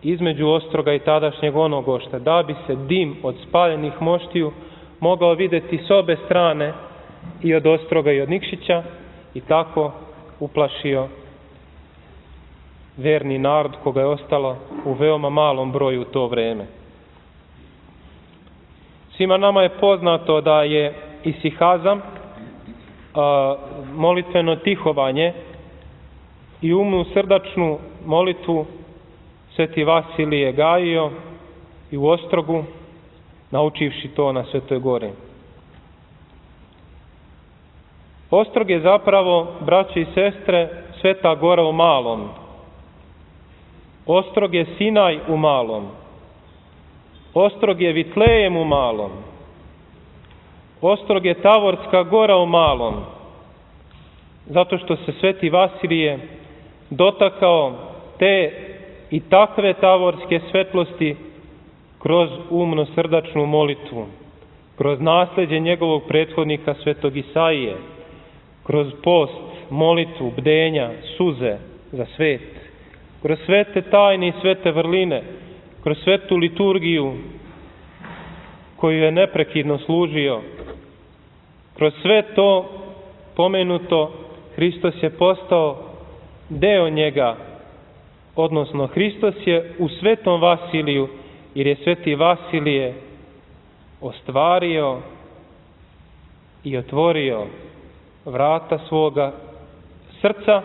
između Ostroga i tadašnjeg Onogošta, da bi se dim od spaljenih moštiju mogao vidjeti s obe strane, i od Ostroga i od Nikšića, i tako uplašio verni narod koga je ostalo u veoma malom broju u to vreme. Svima nama je poznato da je isihazam, molitveno tihovanje i umnu srdačnu molitvu sveti Vasilije gajio i u Ostrogu, naučivši to na Svetoj gori. Ostrog je zapravo, braće i sestre, Sveta gora u malom. Ostrog je Sinaj u malom. Ostrog je Vitlejem u malom. Ostrog je Tavorska gora u malom. Zato što se sveti Vasilije dotakao te i takve tavorske svetlosti kroz umno srdačnu molitvu, kroz nasljeđe njegovog prethodnika svetog Isaije, kroz post, molitvu, bdenja, suze za svet, kroz svete tajne i svete vrline, kroz svetu liturgiju koju je neprekidno služio. Kroz sve to pomenuto, Hristos je postao deo njega, odnosno Hristos je u svetom Vasiliju, jer je sveti Vasilije ostvario i otvorio vrata svoga srca,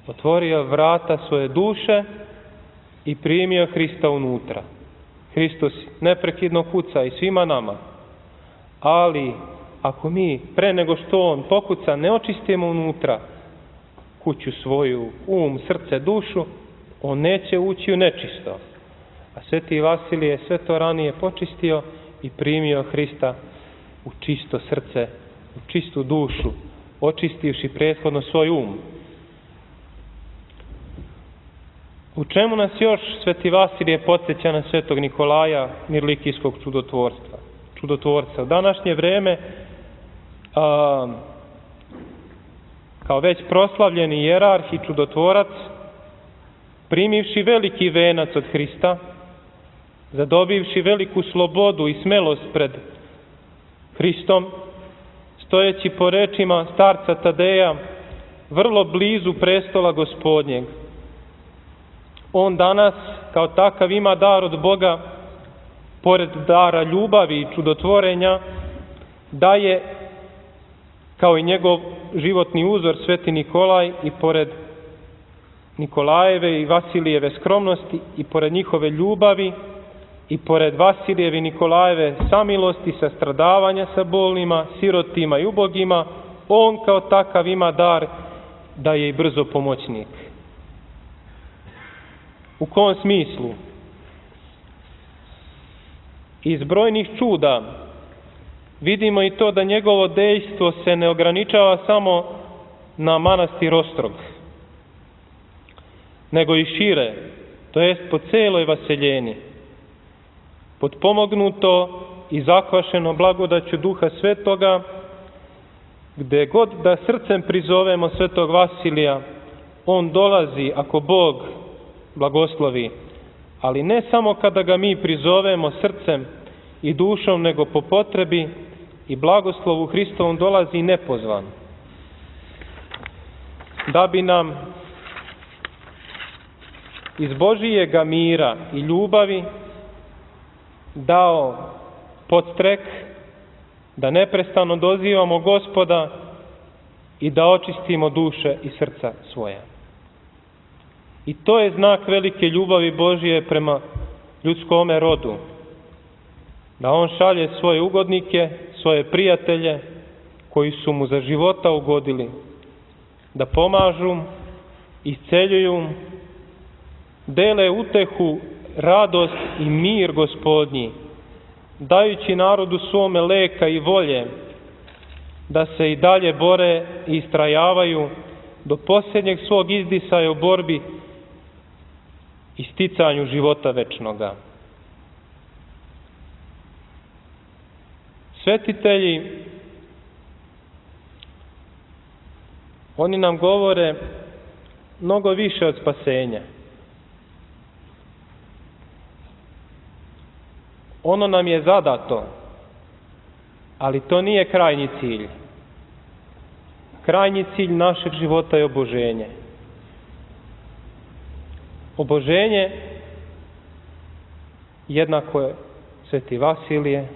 otvorio vrata svoje duše i primio Hrista unutra. Hristos neprekidno kuca i svima nama, ali ako mi pre nego što on pokuca ne očistimo unutra kuću svoju, um, srce, dušu, on neće ući u nečisto. A sveti Vasilije je sve to ranije počistio i primio Hrista u čisto srce, u čistu dušu, očistivši prethodno svoj um. U čemu nas još sveti Vasilije podsjeća na svetog Nikolaja, mirlikijskog čudotvorstva? čudotvorca? U današnje vreme, a, kao već proslavljeni jerarh i čudotvorac, primivši veliki venac od Hrista, zadobivši veliku slobodu i smelost pred Hristom, stojeći po rečima starca Tadeja vrlo blizu prestola Gospodnjeg, on danas kao takav ima dar od Boga, pored dara ljubavi i čudotvorenja, daje kao i njegov životni uzor sveti Nikolaj, i pored Nikolajeve i Vasilijeve skromnosti, i pored njihove ljubavi, i pored Vasilijeve i Nikolajeve samilosti, sastradavanja sa bolnima, sirotima i ubogima, on kao takav ima dar da je i brzo pomoćnik. U kom smislu? Iz brojnih čuda vidimo i to da njegovo dejstvo se ne ograničava samo na manastir Ostrog, nego i šire, to jest po celoj Vaseljeni, potpomognuto i zakvašeno blagodaću Duha Svetoga, gde god da srcem prizovemo svetog Vasilija, on dolazi ako Bog blagoslovi, ali ne samo kada ga mi prizovemo srcem i dušom, nego po potrebi i blagoslovu Hristovom dolazi nepozvan, da bi nam iz Božijega mira i ljubavi dao podstrek da neprestano dozivamo Gospoda i da očistimo duše i srca svoja. I to je znak velike ljubavi Božije prema ljudskome rodu, da on šalje svoje ugodnike, svoje prijatelje koji su mu za života ugodili, da pomažu, isceljuju, dele utehu radost i mir Gospodnji, dajući narodu svome leka i volje da se i dalje bore i istrajavaju do posljednjeg svog izdisaja u borbi i sticanju života večnoga. Svetitelji, oni nam govore mnogo više od spasenja. Ono nam je zadato, ali to nije krajnji cilj. Krajnji cilj našeg života je oboženje. Oboženje jednako je Sveti Vasilije,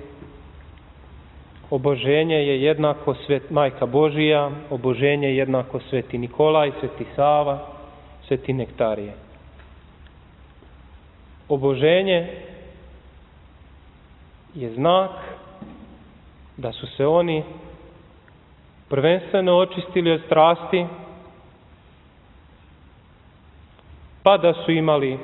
oboženje je jednako svet, Majka Božija, oboženje je jednako Sveti Nikolaj, Sveti Sava, Sveti Nektarije. Oboženje je znak da su se oni prvenstveno očistili od strasti, pa da su imali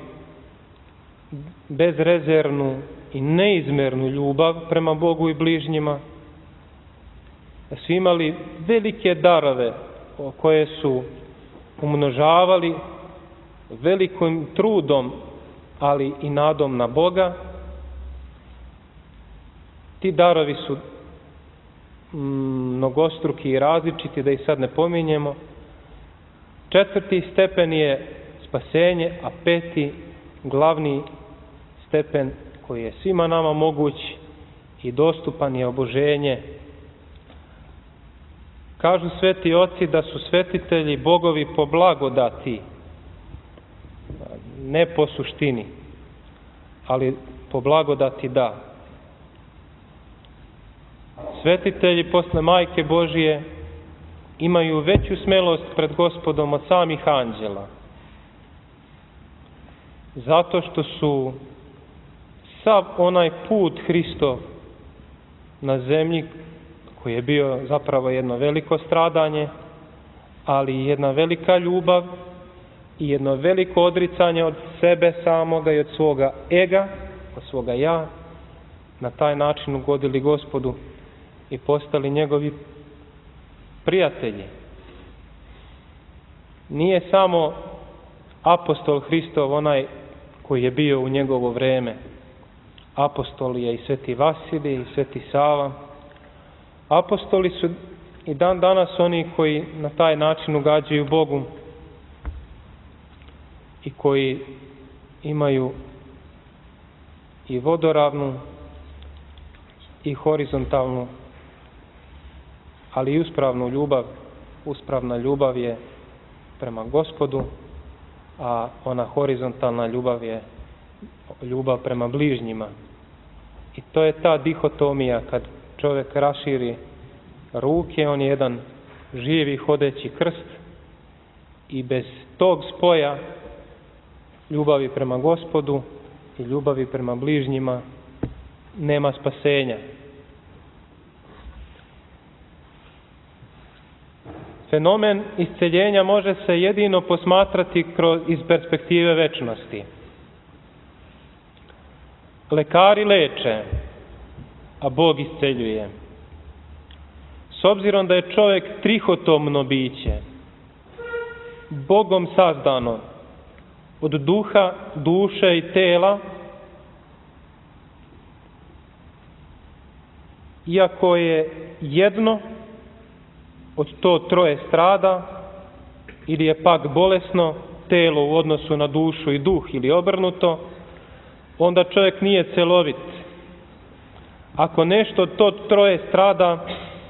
bezrezervnu i neizmernu ljubav prema Bogu i bližnjima, da su imali velike darove koje su umnožavali velikim trudom, ali i nadom na Boga. Ti darovi su mnogostruki i različiti, da ih sad ne pominjemo. Četvrti stepen je spasenje, a peti, glavni stepen koji je svima nama moguć i dostupan, je oboženje. Kažu sveti oci da su svetitelji bogovi po blagodati, ne po suštini, ali po blagodati da. Svetitelji posle Majke Božije imaju veću smelost pred Gospodom od samih anđela. Zato što su sav onaj put Hristov na zemlji, koji je bio zapravo jedno veliko stradanje, ali i jedna velika ljubav i jedno veliko odricanje od sebe samoga i od svoga ega, od svoga ja, na taj način ugodili Gospodu i postali njegovi prijatelji. Nije samo apostol Hristov onaj koji je bio u njegovo vreme. Apostol je i Sveti Vasilij i Sveti Sava. Apostoli su i dan danas oni koji na taj način ugađaju Bogu i koji imaju i vodoravnu i horizontalnu, ali i uspravnu ljubav. Uspravna ljubav je prema Gospodu, a ona horizontalna ljubav je ljubav prema bližnjima. I to je ta dihotomija, kad čovjek raširi ruke, on je jedan živi hodeći krst i bez tog spoja ljubavi prema Gospodu i ljubavi prema bližnjima nema spasenja. Fenomen isceljenja može se jedino posmatrati kroz, iz perspektive večnosti. Lekari leče, a Bog isceljuje. S obzirom da je čovjek trihotomno biće, Bogom sazdano od duha, duše i tela, iako je jedno od to troje strada, ili je pak bolesno telo u odnosu na dušu i duh, ili obrnuto, onda čovjek nije celovit. Ako nešto od to troje strada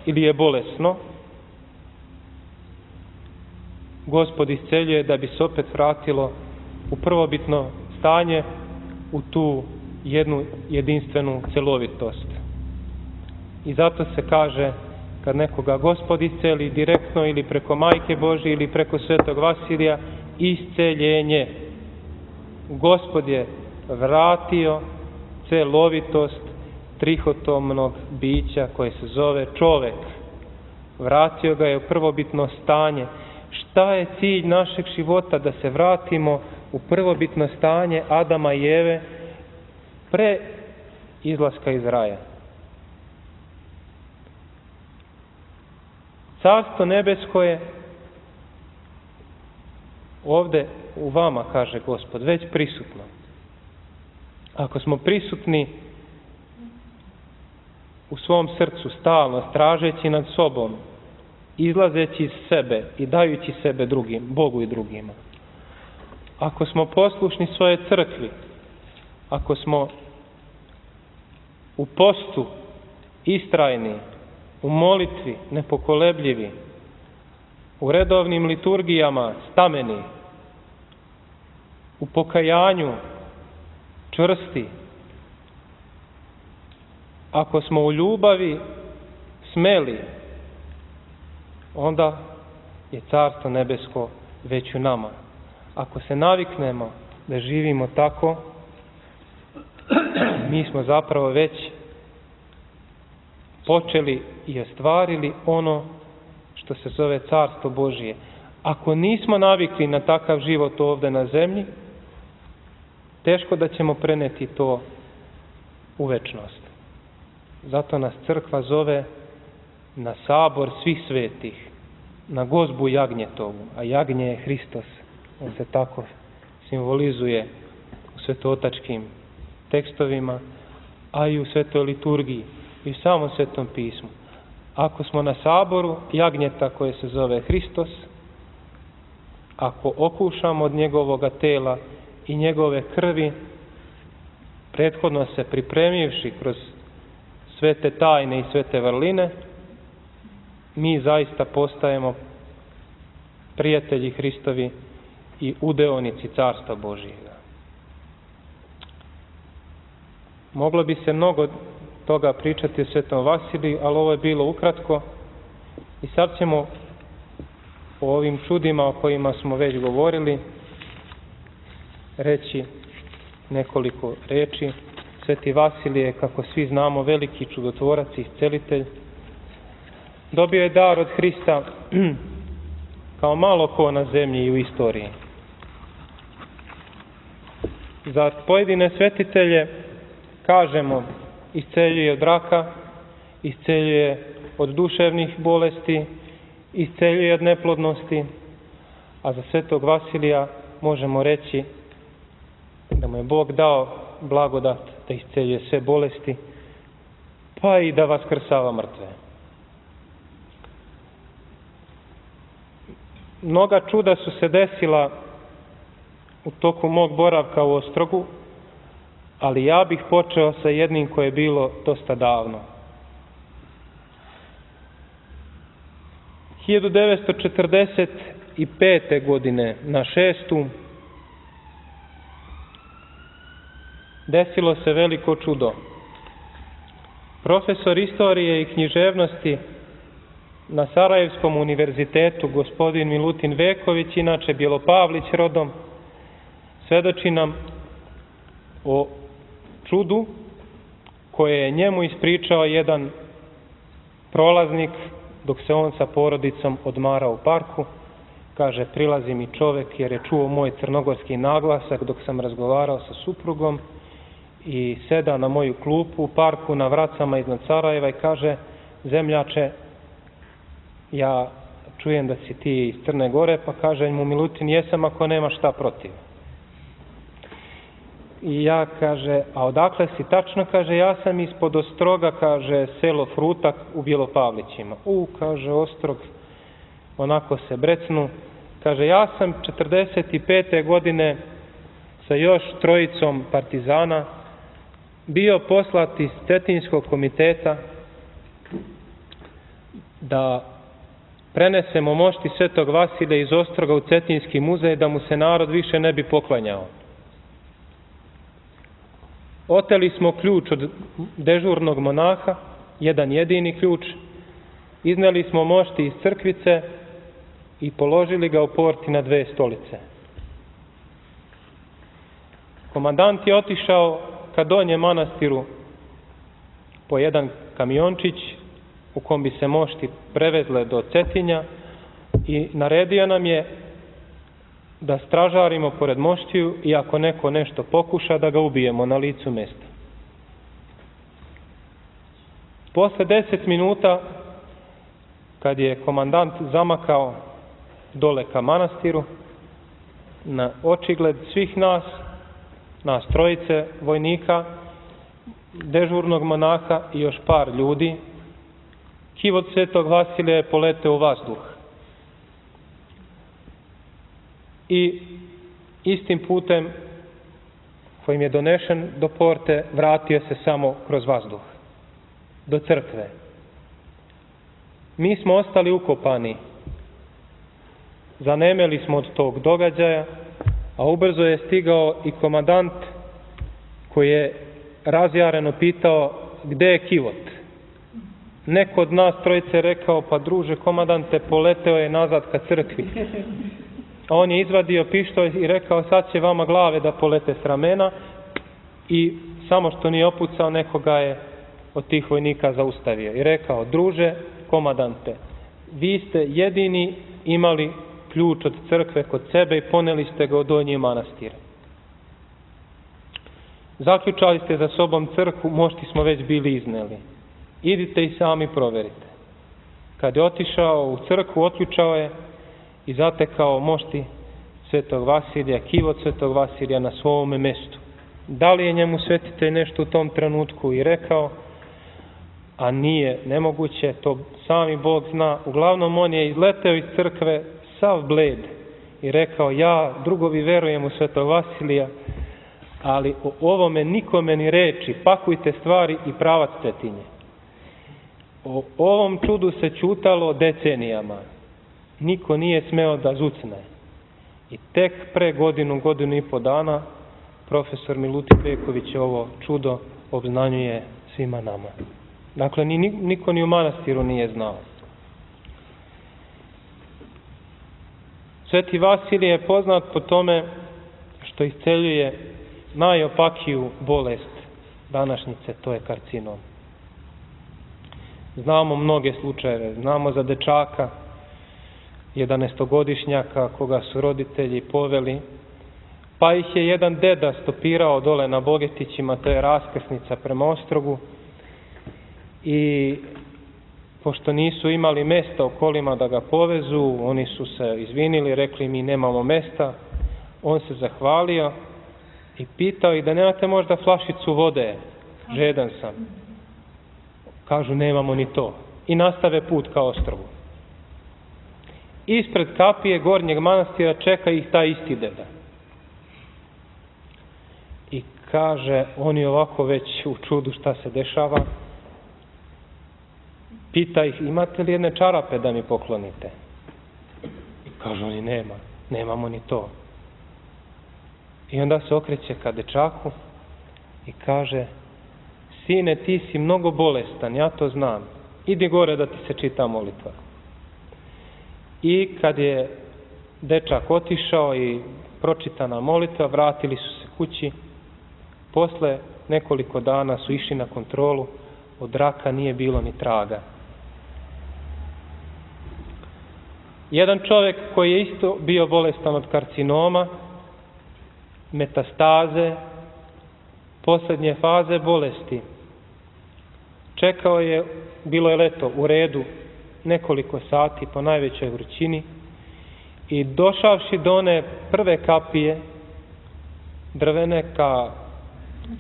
ili je bolesno, Gospod isceljuje da bi se opet vratilo u prvobitno stanje, u tu jednu jedinstvenu celovitost. I zato se kaže, kad nekoga Gospod isceli direktno ili preko Majke Božije ili preko Svetog Vasilija, isceljenje. Gospod je vratio celovitost trihotomnog bića koje se zove čovek. Vratio ga je u prvobitno stanje. Šta je cilj našeg života? Da se vratimo u prvobitno stanje Adama i Eve pre izlaska iz raja. Carstvo nebesko je ovde u vama, kaže Gospod, već prisutno. Ako smo prisutni u svom srcu stalno, stražeći nad sobom, izlazeći iz sebe i dajući sebe drugim, Bogu i drugima. Ako smo poslušni svoje crkvi, ako smo u postu istrajni, u molitvi nepokolebljivi, u redovnim liturgijama stameni, u pokajanju čvrsti, ako smo u ljubavi smeli, onda je Carstvo nebesko već u nama. Ako se naviknemo da živimo tako, mi smo zapravo već počeli i ostvarili ono što se zove Carstvo Božije. Ako nismo navikli na takav život ovde na zemlji, teško da ćemo preneti to u večnost. Zato nas crkva zove na sabor svih svetih, na gozbu jagnjetovu, a jagnje je Hristos. On se tako simbolizuje u svetootačkim tekstovima, a i u svetoj liturgiji i u samom Svetom pismu. Ako smo na saboru jagnjeta koje se zove Hristos, ako okušamo od njegovoga tela i njegove krvi, prethodno se pripremivši kroz sve te tajne i sve te vrline, mi zaista postajemo prijatelji Hristovi i udeonici Carstva Božijega. Moglo bi se mnogo toga pričati o Svetom Vasiliju, ali ovo je bilo ukratko i sad ćemo o ovim čudima o kojima smo već govorili reći nekoliko reči. Sveti Vasilije, kako svi znamo, veliki čudotvorac i iscelitelj, dobio je dar od Hrista kao malo ko na zemlji i u istoriji. Za pojedine svetitelje kažemo isceljuje od raka, isceljuje od duševnih bolesti, isceljuje od neplodnosti, a za Svetog Vasilija možemo reći da mu je Bog dao blagodat da isceljuje sve bolesti, pa i da vaskrsava mrtve. Mnoga čuda su se desila u toku mog boravka u Ostrogu, ali ja bih počeo sa jednim koje je bilo dosta davno. hiljadu devetsto četrdeset pete. godine na šestu desilo se veliko čudo. Profesor istorije i književnosti na Sarajevskom univerzitetu, gospodin Milutin Veković, inače Bjelopavlić rodom, svedoči nam o čudu koje je njemu ispričao jedan prolaznik dok se on sa porodicom odmarao u parku. Kaže, prilazi mi čovek jer je čuo moj crnogorski naglasak dok sam razgovarao sa suprugom i seda na moju klupu u parku na Vracama iznad Sarajeva i kaže, zemljače, ja čujem da si ti iz Crne Gore, pa kaže mu Milutin, jesam ako nema šta protiv. I ja, kaže, a odakle si tačno? Kaže, ja sam ispod Ostroga, kaže, selo Frutak u Bjelopavlićima. U, kaže, Ostrog, onako se brecnu. Kaže, ja sam četrdeset pete. godine sa još trojicom partizana bio poslat iz Cetinskog komiteta da prenesemo mošti Svetog Vasilija iz Ostroga u Cetinski muzej da mu se narod više ne bi poklanjao. Oteli smo ključ od dežurnog monaha, jedan jedini ključ, izneli smo mošti iz crkvice i položili ga u porti na dve stolice. Komandant je otišao ka Donjem manastiru po jedan kamiončić u kom bi se mošti prevezle do Cetinja i naredio nam je da stražarimo pored moštiju i ako neko nešto pokuša da ga ubijemo na licu mjesta. Posle deset minuta, kad je komandant zamakao dole ka manastiru, na očigled svih nas, nas trojice vojnika, dežurnog monaha i još par ljudi, kivot Svetog Vasilija je poleteo u vazduh. I istim putem kojim je donešen do porte, vratio se samo kroz vazduh, do crkve. Mi smo ostali ukopani, zanemeli smo od tog događaja, a ubrzo je stigao i komandant koji je razjareno pitao gde je kivot. Neko od nas trojice je rekao, pa druže komandante, poleteo je nazad ka crkvi. A on je izvadio pištolj i rekao, sad će vama glave da polete s ramena, i samo što nije opucao, nekoga je od tih vojnika zaustavio i rekao, druže komandante, vi ste jedini imali ključ od crkve kod sebe i poneli ste ga od Donji manastir. Zaključali ste za sobom crkvu, mošti smo već bili izneli. Idite i sami proverite. Kad je otišao u crkvu, otključao je i zatekao mošti Svetog Vasilija, kivot Svetog Vasilija na svome mestu. Da li je njemu svetitelj nešto u tom trenutku i rekao, a nije nemoguće, to sami Bog zna. Uglavnom on je izleteo iz crkve sav bled i rekao, ja drugovi verujem u Svetog Vasilija, ali o ovome nikome ni reči, pakujte stvari i pravac Cetinje. O ovom čudu se ćutalo decenijama. Niko nije smeo da zucne. I tek pre godinu, godinu i po dana, profesor Milutin Peković ovo čudo obznanjuje svima nama. Dakle, ni, niko ni u manastiru nije znao. Sveti Vasilije je poznat po tome što isceljuje najopakiju bolest današnjice, to je karcinom. Znamo mnoge slučajeve, znamo za dečaka, jedanaestogodišnjaka, koga su roditelji poveli, pa ih je jedan deda stopirao dole na Bogetićima, to je raskrsnica prema Ostrogu, i pošto nisu imali mesta u kolima da ga povezu, oni su se izvinili, rekli mi nemamo mesta, on se zahvalio i pitao ih da nemate možda flašicu vode, žedan sam. Kažu nemamo ni to. I nastave put ka Ostrogu. Ispred kapije Gornjeg manastira čeka ih taj isti deda. I kaže, oni ovako već u čudu šta se dešava, pita ih, imate li jedne čarape da mi poklonite? I kažu oni, nema, nemamo ni to. I onda se okreće ka dečaku i kaže, sine, ti si mnogo bolestan, ja to znam. Idi gore da ti se čita molitva. I kad je dečak otišao i pročitana molitva, vratili su se kući. Posle nekoliko dana su išli na kontrolu, od raka nije bilo ni traga. Jedan čovjek koji je isto bio bolestan od karcinoma, metastaze, posljednje faze bolesti, čekao je, bilo je leto, u redu nekoliko sati po najvećoj vrućini i došavši do one prve kapije drvene ka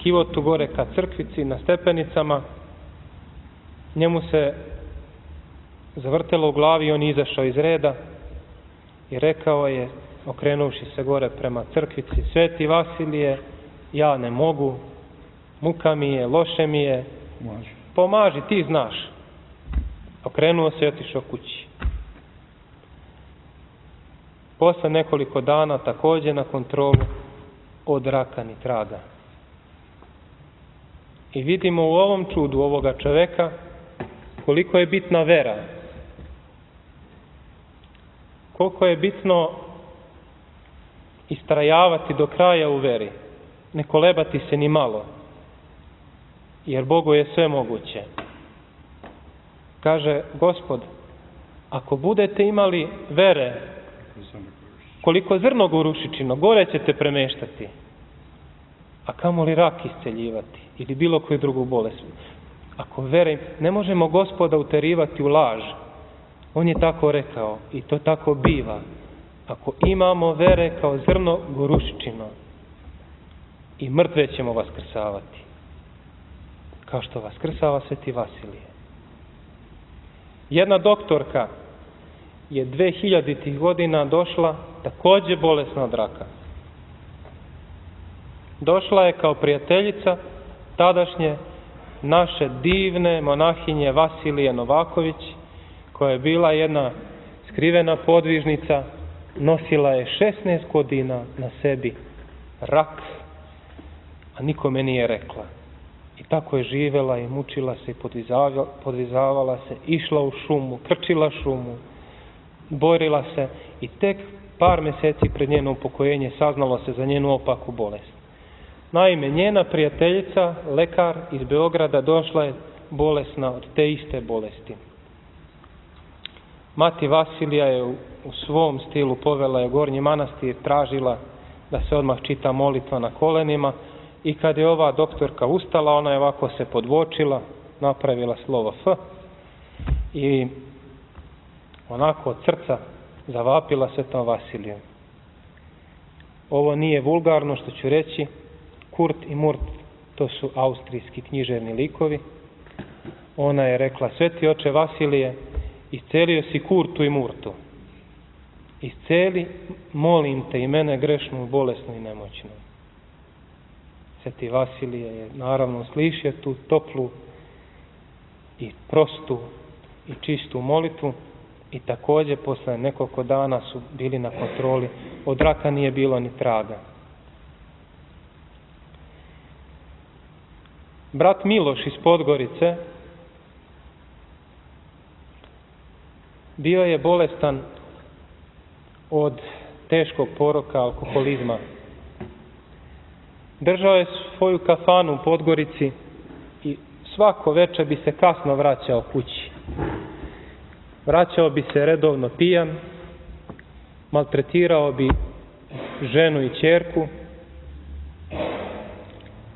kivotu gore ka crkvici na stepenicama, njemu se zavrtelo u glavi i on izašao iz reda i rekao je, okrenuvši se gore prema crkvici, Sveti Vasilije, ja ne mogu, muka mi je, loše mi je, pomaži, ti znaš. Okrenuo se i otišao kući. Posle nekoliko dana također na kontrolu, od raka ni traga. I vidimo u ovom čudu ovoga čoveka koliko je bitna vera. Koliko je bitno istrajavati do kraja u veri. Ne kolebati se ni malo. Jer Bogu je sve moguće. Kaže Gospod, ako budete imali vere koliko zrno gorušičino, gore ćete premeštati, a kamoli rak isceljivati ili bilo koju drugu bolest. Ako vere, ne možemo Gospoda uterivati u laž. On je tako rekao i to tako biva. Ako imamo vere kao zrno gorušičino, i mrtve ćemo vaskrsavati, kao što vaskrsava Sveti Vasilije. Jedna doktorka je dve hiljaditih godina došla, također bolesna od raka. Došla je kao prijateljica tadašnje naše divne monahinje Vasilije Novaković, koja je bila jedna skrivena podvižnica, nosila je šesnaest godina na sebi rak, a nikome nije rekla. I tako je živela i mučila se i podvizavala se, išla u šumu, krčila šumu, borila se i tek par mjeseci pred njeno upokojenje saznalo se za njenu opaku bolest. Naime, njena prijateljica, lekar iz Beograda, došla je bolesna od te iste bolesti. Mati Vasilija je u, u svom stilu povela je Gornji manastir, tražila da se odmah čita molitva na kolenima, i kad je ova doktorka ustala, ona je ovako se podvočila, napravila slovo F i onako od srca zavapila Svetom Vasiliju. Ovo nije vulgarno što ću reći, Kurt i Murt, to su austrijski književni likovi. Ona je rekla: Sveti oče Vasilije, iscelio si Kurtu i Murtu. Isceli, molim te, i mene grešnu, bolesnu i nemoćnu. Sveti Vasilije je naravno slišio tu toplu i prostu i čistu molitvu i također posle nekoliko dana su bili na kontroli. Od raka nije bilo ni traga. Brat Miloš iz Podgorice bio je bolestan od teškog poroka, alkoholizma. Držao je svoju kafanu u Podgorici i svako večer bi se kasno vraćao kući. Vraćao bi se redovno pijan, maltretirao bi ženu i ćerku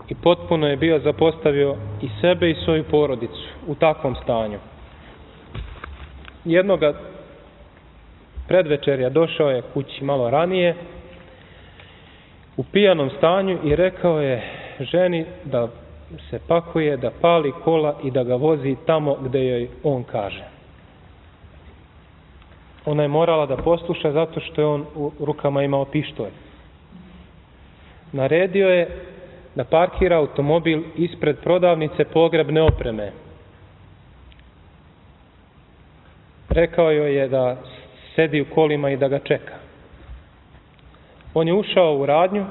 i potpuno je bio zapostavio i sebe i svoju porodicu u takvom stanju. Jednoga predvečerja došao je kući malo ranije u pijanom stanju i rekao je ženi da se pakuje, da pali kola i da ga vozi tamo gdje joj on kaže. Ona je morala da posluša zato što je on u rukama imao pištolj. Naredio je da parkira automobil ispred prodavnice pogrebne opreme. Rekao joj je da sedi u kolima i da ga čeka. On je ušao u radnju,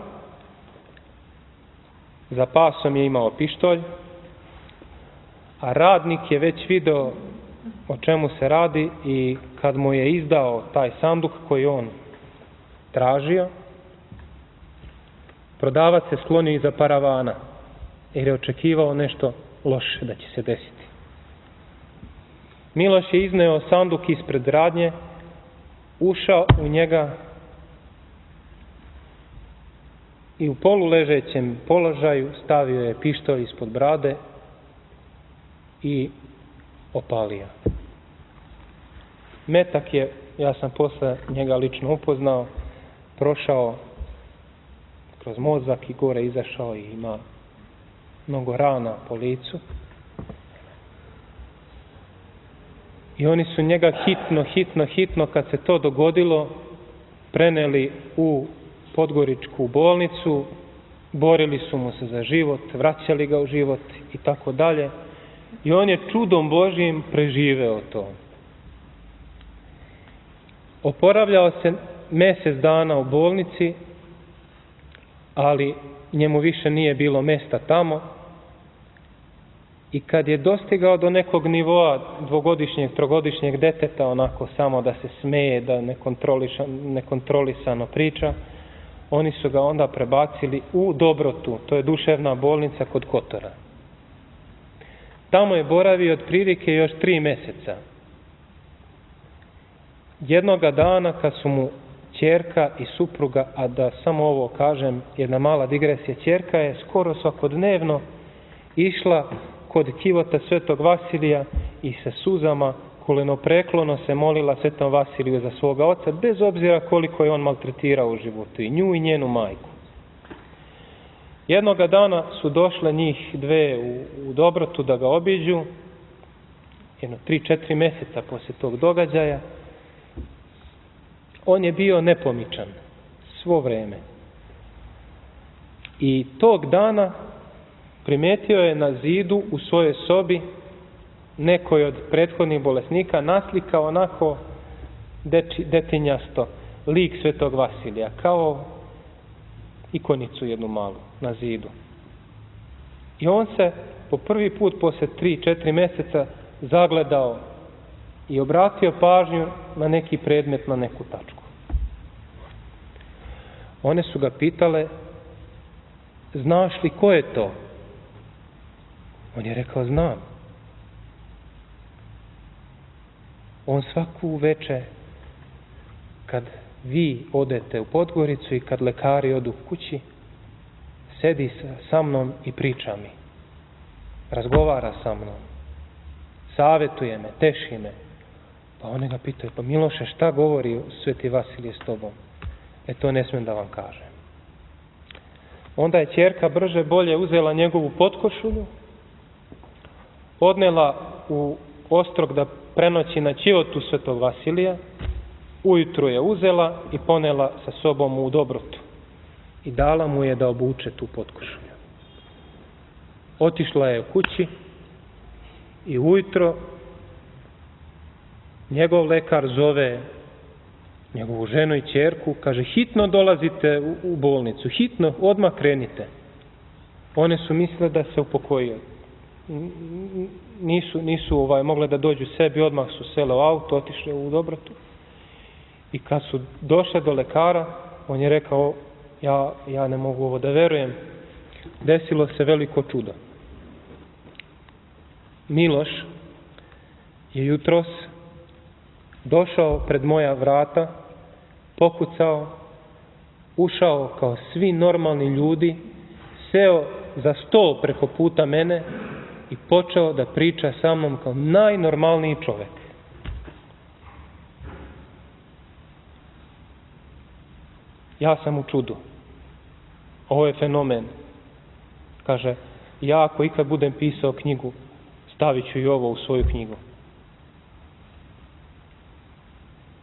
za pasom je imao pištolj, a radnik je već video o čemu se radi i kad mu je izdao taj sanduk koji on tražio, prodavac se sklonio iza paravana jer je očekivao nešto loše da će se desiti. Miloš je izneo sanduk ispred radnje, ušao u njega i u poluležećem položaju stavio je pištolj ispod brade i opalio. Metak je, ja sam posle njega lično upoznao, prošao kroz mozak i gore izašao i ima mnogo rana po licu. I oni su njega hitno, hitno, hitno, kad se to dogodilo, preneli u Podgoričku bolnicu, borili su mu se za život, vraćali ga u život i tako dalje. I on je čudom Božjim preživeo to. Oporavljao se mjesec dana u bolnici, ali njemu više nije bilo mjesta tamo. I kad je dostigao do nekog nivoa dvogodišnjeg, trogodišnjeg deteta, onako samo da se smeje, da nekontrolisano priča, oni su ga onda prebacili u Dobrotu, to je duševna bolnica kod Kotora. Tamo je boravio otprilike još tri mjeseca. Jednoga dana kad su mu ćerka i supruga, a da samo ovo kažem, jedna mala digresija, ćerka je skoro svakodnevno išla kod kivota Svetog Vasilija i sa suzama kolenopreklono se molila Svetom Vasiliju za svoga oca, bez obzira koliko je on maltretirao u životu, i nju i njenu majku. Jednoga dana su došle njih dve u, u Dobrotu da ga obiđu, jedno tri, četiri mjeseca poslije tog događaja. On je bio nepomičan svo vrijeme. I tog dana primetio je na zidu u svojoj sobi nekoj od prethodnih bolesnika naslikao onako deči, detinjasto lik Svetog Vasilija, kao ikonicu jednu malu na zidu. I on se po prvi put poslije tri, četiri mjeseca zagledao i obratio pažnju na neki predmet, na neku tačku. One su ga pitale, znaš li ko je to? On je rekao, znam. On svaku večer, kad vi odete u Podgoricu i kad lekari odu kući, sedi sa mnom i priča mi. Razgovara sa mnom. Savjetuje me, teši me. Pa one ga pitaju, pa Miloše, šta govori Sveti Vasilije s tobom? E, to ne smijem da vam kažem. Onda je ćerka brže bolje uzela njegovu potkošulju, odnela u ostrog da prenoći na ćivotu Svetog Vasilija, ujutru je uzela i ponela sa sobom u Dobrotu i dala mu je da obuče tu potkošulju. Otišla je u kući i ujutro njegov lekar zove njegovu ženu i ćerku, kaže, hitno dolazite u, u bolnicu, hitno, odmah krenite. One su mislile da se upokojio. Nisu, nisu ovaj, mogle da dođu sebi, odmah su sele u auto, otišle u Dobrotu. I kad su došle do lekara, on je rekao, ja, ja ne mogu ovo da verujem, desilo se veliko čudo. Miloš je jutros došao pred moja vrata, pokucao, ušao kao svi normalni ljudi, seo za stol preko puta mene i počeo da priča sa mnom kao najnormalniji čovjek. Ja sam u čudu. Ovo je fenomen. Kaže, ja ako ikad budem pisao knjigu, stavit ću i ovo u svoju knjigu.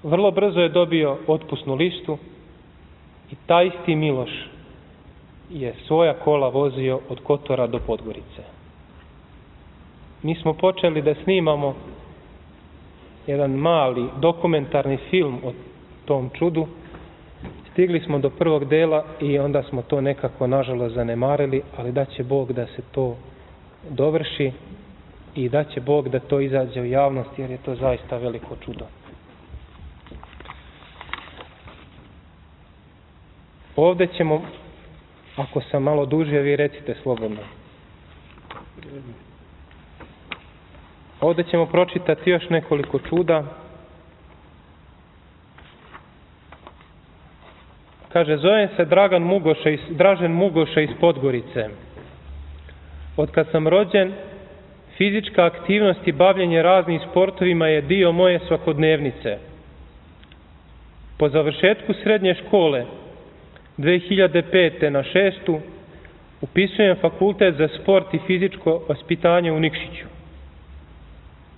Vrlo brzo je dobio otpusnu listu i taj isti Miloš je svoja kola vozio od Kotora do Podgorice. Mi smo počeli da snimamo jedan mali dokumentarni film o tom čudu. Stigli smo do prvog dela i onda smo to nekako nažalost zanemarili, ali da će Bog da se to dovrši i da će Bog da to izađe u javnost, jer je to zaista veliko čudo. Ovdje ćemo, ako sam malo dužio, vi recite slobodno. Ovdje ćemo pročitati još nekoliko čuda. Kaže, zovem se Dragan Mugoša iz, Dražen Mugoša iz Podgorice. Od kad sam rođen, fizička aktivnost i bavljenje raznim sportovima je dio moje svakodnevnice. Po završetku srednje škole, dve hiljade pete na šestu, upisujem fakultet za sport i fizičko vaspitanje u Nikšiću.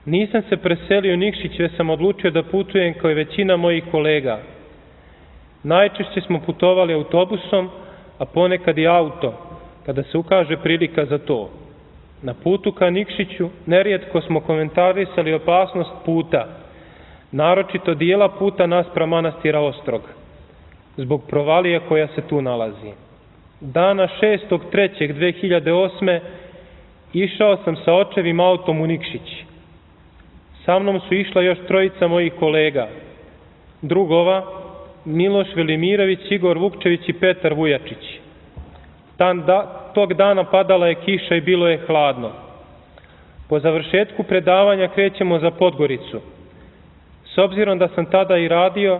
Nisam se preselio u Nikšić, već sam odlučio da putujem kao i većina mojih kolega. Najčešće smo putovali autobusom, a ponekad i auto, kada se ukaže prilika za to. Na putu ka Nikšiću nerijetko smo komentarisali opasnost puta, naročito dijela puta naspram manastira Ostrog, zbog provalije koja se tu nalazi. Dana šestog trećeg dve hiljade osme išao sam sa očevim autom u Nikšić. Sa mnom su išla još trojica mojih kolega, drugova, Miloš Velimirović, Igor Vukčević i Petar Vujačić. Tan da, tog dana padala je kiša i bilo je hladno. Po završetku predavanja krećemo za Podgoricu. S obzirom da sam tada i radio,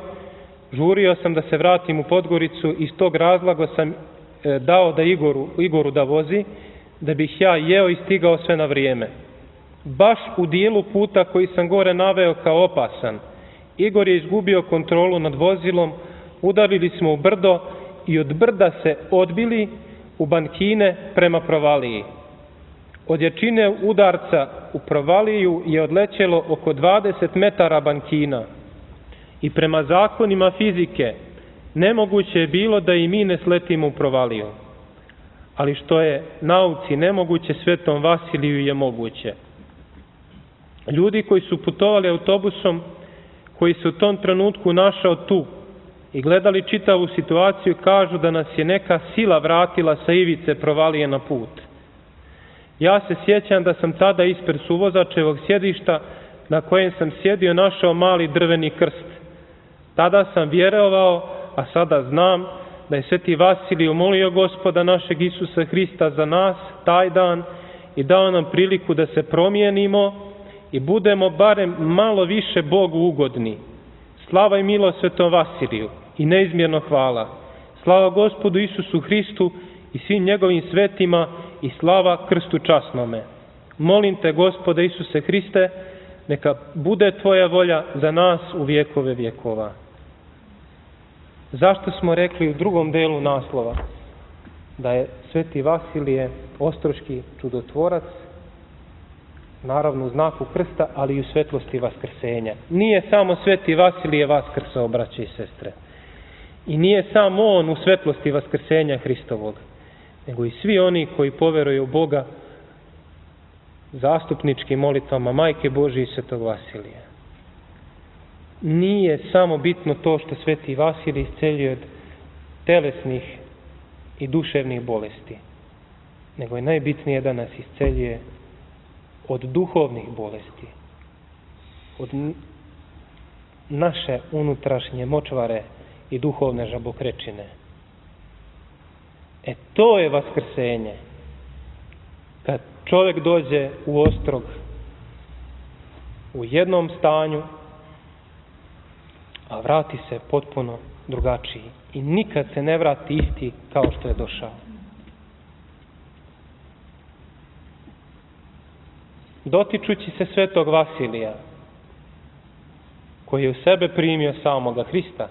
žurio sam da se vratim u Podgoricu i iz tog razloga sam e, dao da Igoru, Igoru da vozi, da bih ja jeo i stigao sve na vrijeme. Baš u dijelu puta koji sam gore naveo kao opasan, Igor je izgubio kontrolu nad vozilom, udarili smo u brdo i od brda se odbili u bankine prema provaliji. Od jačine udarca u provaliju je odlećelo oko dvadeset metara bankina i prema zakonima fizike nemoguće je bilo da i mi ne sletimo u provaliju. Ali što je nauci nemoguće, Svetom Vasiliju je moguće. Ljudi koji su putovali autobusom, koji se u tom trenutku našao tu i gledali čitavu situaciju, kažu da nas je neka sila vratila sa ivice provalije na put. Ja se sjećam da sam tada ispred suvozačevog sjedišta na kojem sam sjedio našao mali drveni krst. Tada sam vjerovao, a sada znam da je Sveti Vasilij molio Gospoda našeg Isusa Hrista za nas taj dan i dao nam priliku da se promijenimo i budemo barem malo više Bogu ugodni. Slava i milost Svetom Vasiliju i neizmjerno hvala. Slava Gospodu Isusu Hristu i svim njegovim svetima i slava krstu časnome. Molim te, Gospode Isuse Hriste, neka bude tvoja volja za nas u vjekove vjekova. Zašto smo rekli u drugom delu naslova da je Sveti Vasilije ostroški čudotvorac, naravno u znaku krsta, ali i u svetlosti vaskrsenja. Nije samo Sveti Vasilije vaskrsao, braće i sestre. I nije samo on u svetlosti vaskrsenja Hristovog, nego i svi oni koji poveruju u Boga zastupničkim molitvama Majke Božije i Svetog Vasilija. Nije samo bitno to što Sveti Vasilij isceljuje od telesnih i duševnih bolesti, nego je najbitnije da nas isceljuje od duhovnih bolesti, od naše unutrašnje močvare i duhovne žabokrečine. E to je vaskrsenje. Kad čovjek dođe u Ostrog u jednom stanju, a vrati se potpuno drugačiji i nikad se ne vrati isti kao što je došao. Dotičući se Svetog Vasilija, koji je u sebe primio samoga Hrista,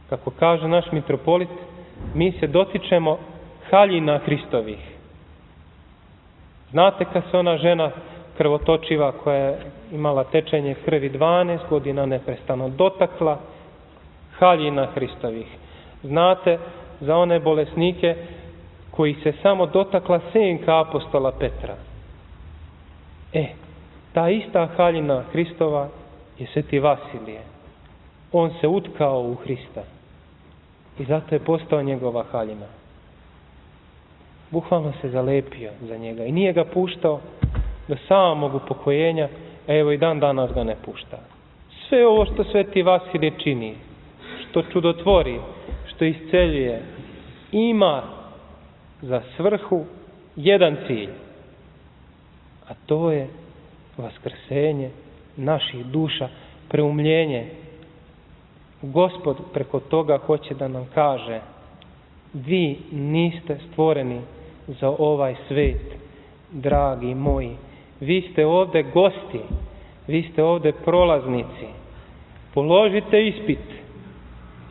kako kaže naš mitropolit, mi se dotičemo haljina Hristovih. Znate kad se ona žena krvotočiva koja je imala tečenje krvi dvanaest godina neprestano dotakla haljina Hristovih. Znate za one bolesnike koji se samo dotakla senka apostola Petra. E, ta ista haljina Hristova je Sveti Vasilije. On se utkao u Hrista i zato je postao njegova haljina. Bukvalno se zalepio za njega i nije ga puštao do samog upokojenja, a evo i dan danas ga ne pušta. Sve ovo što Sveti Vasilije čini, što čudotvori, što isceljuje, ima za svrhu jedan cilj, a to je vaskrsenje naših duša, preumljenje. Gospod preko toga hoće da nam kaže: vi niste stvoreni za ovaj svet, dragi moji. Vi ste ovde gosti, vi ste ovde prolaznici. Položite ispit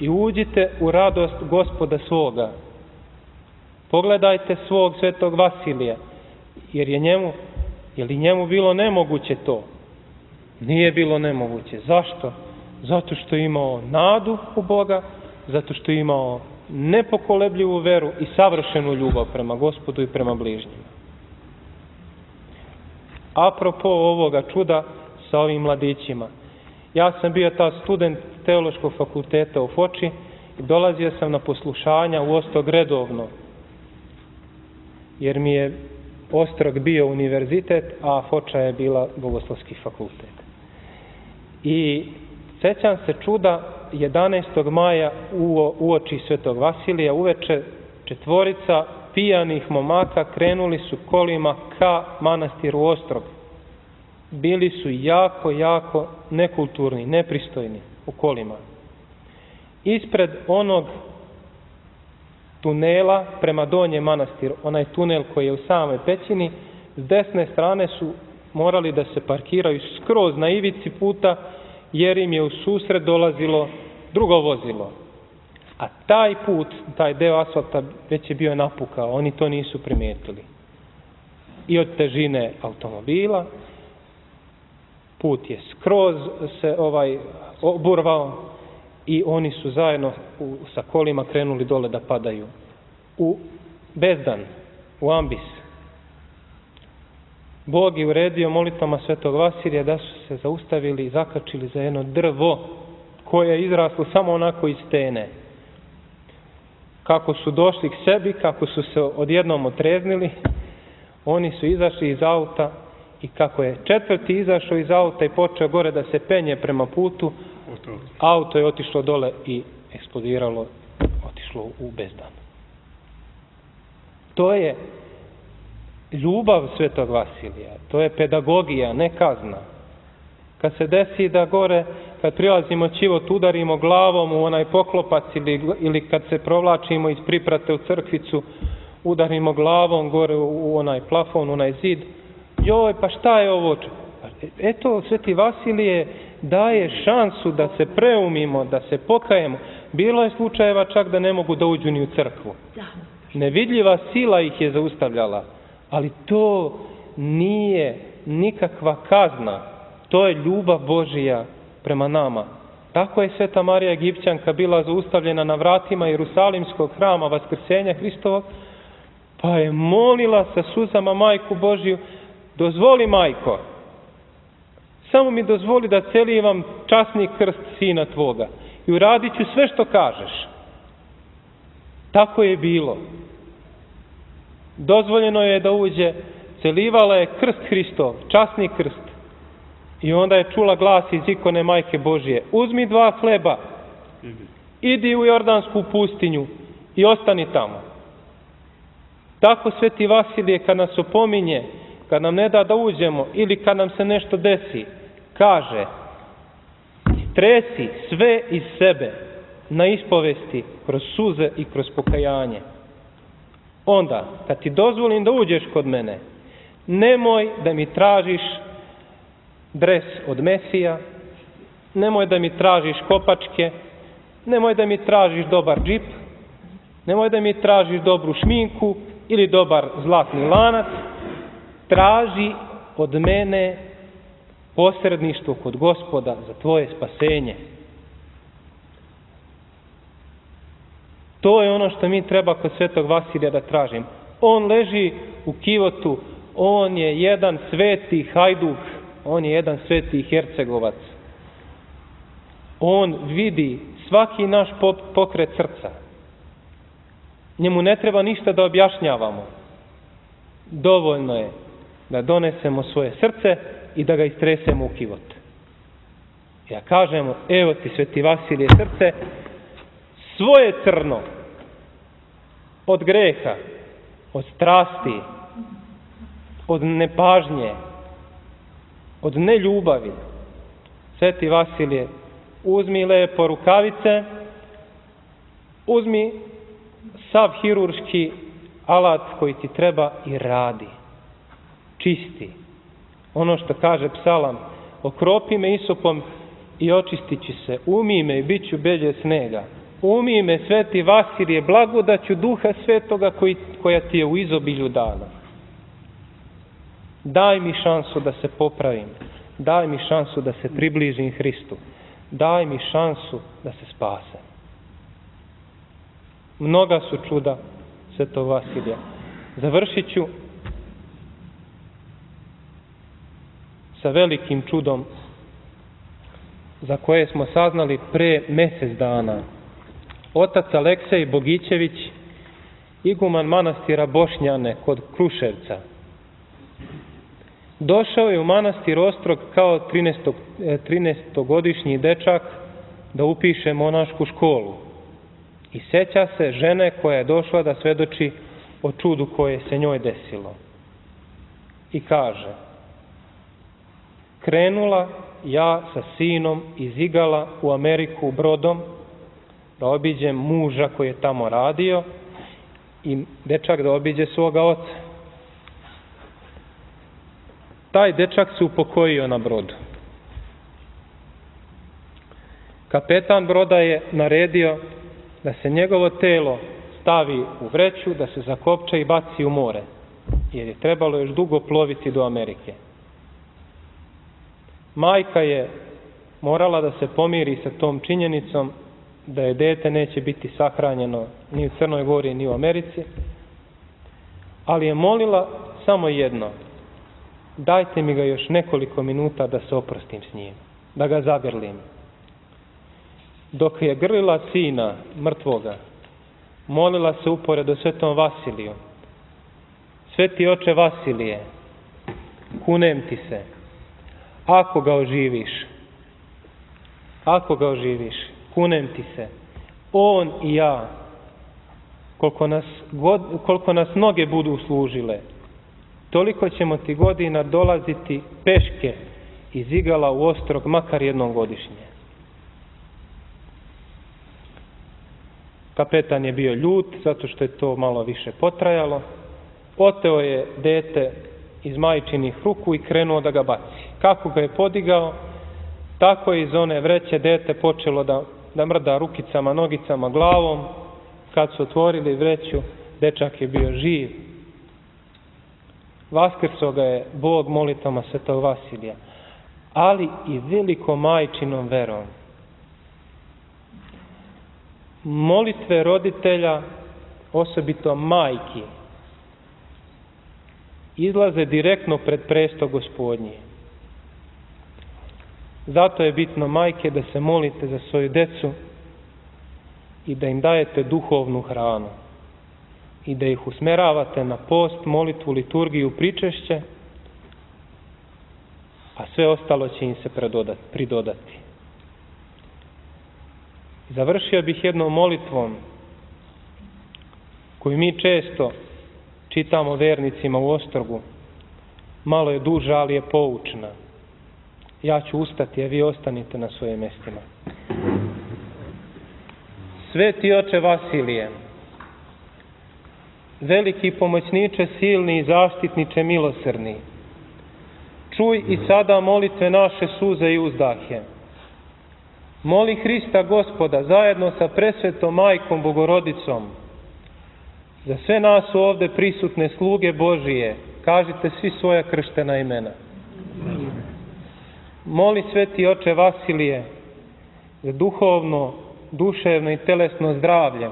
i uđite u radost Gospoda svoga. Pogledajte svog Svetog Vasilija, jer je njemu, je li njemu bilo nemoguće to? Nije bilo nemoguće. Zašto? Zato što je imao nadu u Boga, zato što je imao nepokolebljivu veru i savršenu ljubav prema Gospodu i prema bližnjima. Apropo ovoga čuda sa ovim mladićima, ja sam bio ta student Teološkog fakulteta u Foči i dolazio sam na poslušanja u Ostrog redovno, jer mi je Ostrog bio univerzitet, a Foča je bila Bogoslovski fakultet. I sjećam se čuda jedanaestog maja uoči Svetog Vasilija, uveče četvorica pijanih momaka krenuli su kolima ka manastiru Ostrog. Bili su jako, jako nekulturni, nepristojni u kolima. ispred onog tunela prema Donjem Manastiru, onaj tunel koji je u samoj pećini, s desne strane su morali da se parkiraju skroz na ivici puta, jer im je u susret dolazilo drugo vozilo. A taj put, taj deo asfalta već je bio napukao, oni to nisu primijetili. I od težine automobila, put je skroz se ovaj oburvao i oni su zajedno u, sa kolima krenuli dole da padaju u bezdan, u ambis. Bog je uredio molitvama Svetog Vasilija da su se zaustavili i zakačili za jedno drvo koje je izraslo samo onako iz stene. Kako su došli k sebi, kako su se odjednom otreznili, oni su izašli iz auta i kako je četvrti izašao iz auta i počeo gore da se penje prema putu, auto je otišlo dole i eksplodiralo, otišlo u bezdan. To je ljubav Svetog Vasilija, to je pedagogija, ne kazna. Kad se desi da gore, kad prilazimo ćivot, udarimo glavom u onaj poklopac ili, ili kad se provlačimo iz priprate u crkvicu, udarimo glavom gore u onaj plafon, u onaj zid, joj, pa šta je ovo? Eto, Sveti Vasilije daje šansu da se preumimo, da se pokajemo. Bilo je slučajeva čak da ne mogu da uđu ni u crkvu. Nevidljiva sila ih je zaustavljala, ali to nije nikakva kazna. To je ljubav Božija prema nama. Tako je Sveta Marija Egipćanka bila zaustavljena na vratima Jerusalimskog hrama Vaskrsenja Hristovog, pa je molila sa suzama Majku Božiju, dozvoli, Majko, samo mi dozvoli da celivam časni krst sina tvoga i uradit ću sve što kažeš. Tako je bilo. Dozvoljeno je da uđe, celivala je krst Hristov, časni krst. I onda je čula glas iz ikone Majke Božije, uzmi dva hleba, idi u Jordansku pustinju i ostani tamo. Tako Sveti Vasilije kad nas opominje, kad nam ne da da uđemo ili kad nam se nešto desi, kaže, stresi sve iz sebe na ispovesti kroz suze i kroz pokajanje. Onda, kad ti dozvolim da uđeš kod mene, nemoj da mi tražiš dres od Mesija, nemoj da mi tražiš kopačke, nemoj da mi tražiš dobar džip, nemoj da mi tražiš dobru šminku ili dobar zlatni lanac, traži od mene posredništvo kod Gospoda za tvoje spasenje. To je ono što mi treba kod Svetog Vasilija da tražim. On leži u kivotu, on je jedan sveti hajduk, on je jedan sveti hercegovac. On vidi svaki naš pokret srca. Njemu ne treba ništa da objašnjavamo. Dovoljno je da donesemo svoje srce i da ga istresemo u kivot. Ja kažemo, evo ti Sveti Vasilije srce, svoje crno, od greha, od strasti, od nepažnje, od neljubavi. Sveti Vasilije, uzmi lepo rukavice, uzmi sav hirurški alat koji ti treba i radi. Čisti. Ono što kaže psalam, okropi me isopom i očistit ću se, umij me i bit ću belje snega. Umij me, Sveti Vasilije, blagodaću Duha Svetoga koji, koja ti je u izobilju dana. Daj mi šansu da se popravim. Daj mi šansu da se približim Hristu. Daj mi šansu da se spasem. Mnoga su čuda Svetog Vasilija. Završit ću sa velikim čudom za koje smo saznali pre mjesec dana. Otac Aleksej Bogićević, iguman manastira Bošnjane kod Kruševca, došao je u manastir Ostrog kao trinaestogodišnji dečak da upiše monašku školu. I seća se žene koja je došla da svedoči o čudu koje se njoj desilo. I kaže, krenula ja sa sinom iz Igala u Ameriku brodom, da obiđem muža koji je tamo radio i dečak da obiđe svoga oca. Taj dečak se upokojio na brodu. Kapetan broda je naredio da se njegovo telo stavi u vreću, da se zakopča i baci u more, jer je trebalo još dugo ploviti do Amerike. Majka je morala da se pomiri sa tom činjenicom da je dete neće biti sahranjeno ni u Crnoj Gori ni u Americi, ali je molila samo jedno: dajte mi ga još nekoliko minuta da se oprostim s njim, da ga zagrlim. Dok je grlila sina mrtvoga, molila se uporedo svetom Vasiliju: sveti oče Vasilije, kunem ti se, ako ga oživiš, ako ga oživiš, kunem ti se, on i ja, koliko nas, god, koliko nas noge budu služile, toliko ćemo ti godina dolaziti peške iz Igala u Ostrog, makar jednom godišnje. Kapetan je bio ljut, zato što je to malo više potrajalo. Oteo je dete iz majčinih ruku i krenuo da ga baci. Kako ga je podigao, tako je iz one vreće dete počelo da, da mrda rukicama, nogicama, glavom. Kad su otvorili vreću, dečak je bio živ. Vaskrso ga je Bog molitvama svetog Vasilija, ali i velikom majčinom verom. Molitve roditelja, osobito majki, izlaze direktno pred presto Gospodnji. Zato je bitno, majke, da se molite za svoju decu i da im dajete duhovnu hranu i da ih usmeravate na post, molitvu, liturgiju, pričešće, a sve ostalo će im se pridodati. Završio bih jednom molitvom koju mi često čitamo vernicima u Ostrogu. Malo je duža, ali je poučna. Ja ću ustati, a vi ostanite na svojim mjestima. Sveti oče Vasilije, veliki pomoćniče silni i zaštitniče milosrdni, čuj i sada molitve naše suze i uzdahe. Moli Hrista Gospoda zajedno sa presvetom Majkom Bogorodicom za sve nas ovde prisutne sluge Božije, kažite svi svoja krštena imena. Moli sveti oče Vasilije za duhovno, duševno i telesno zdravlje,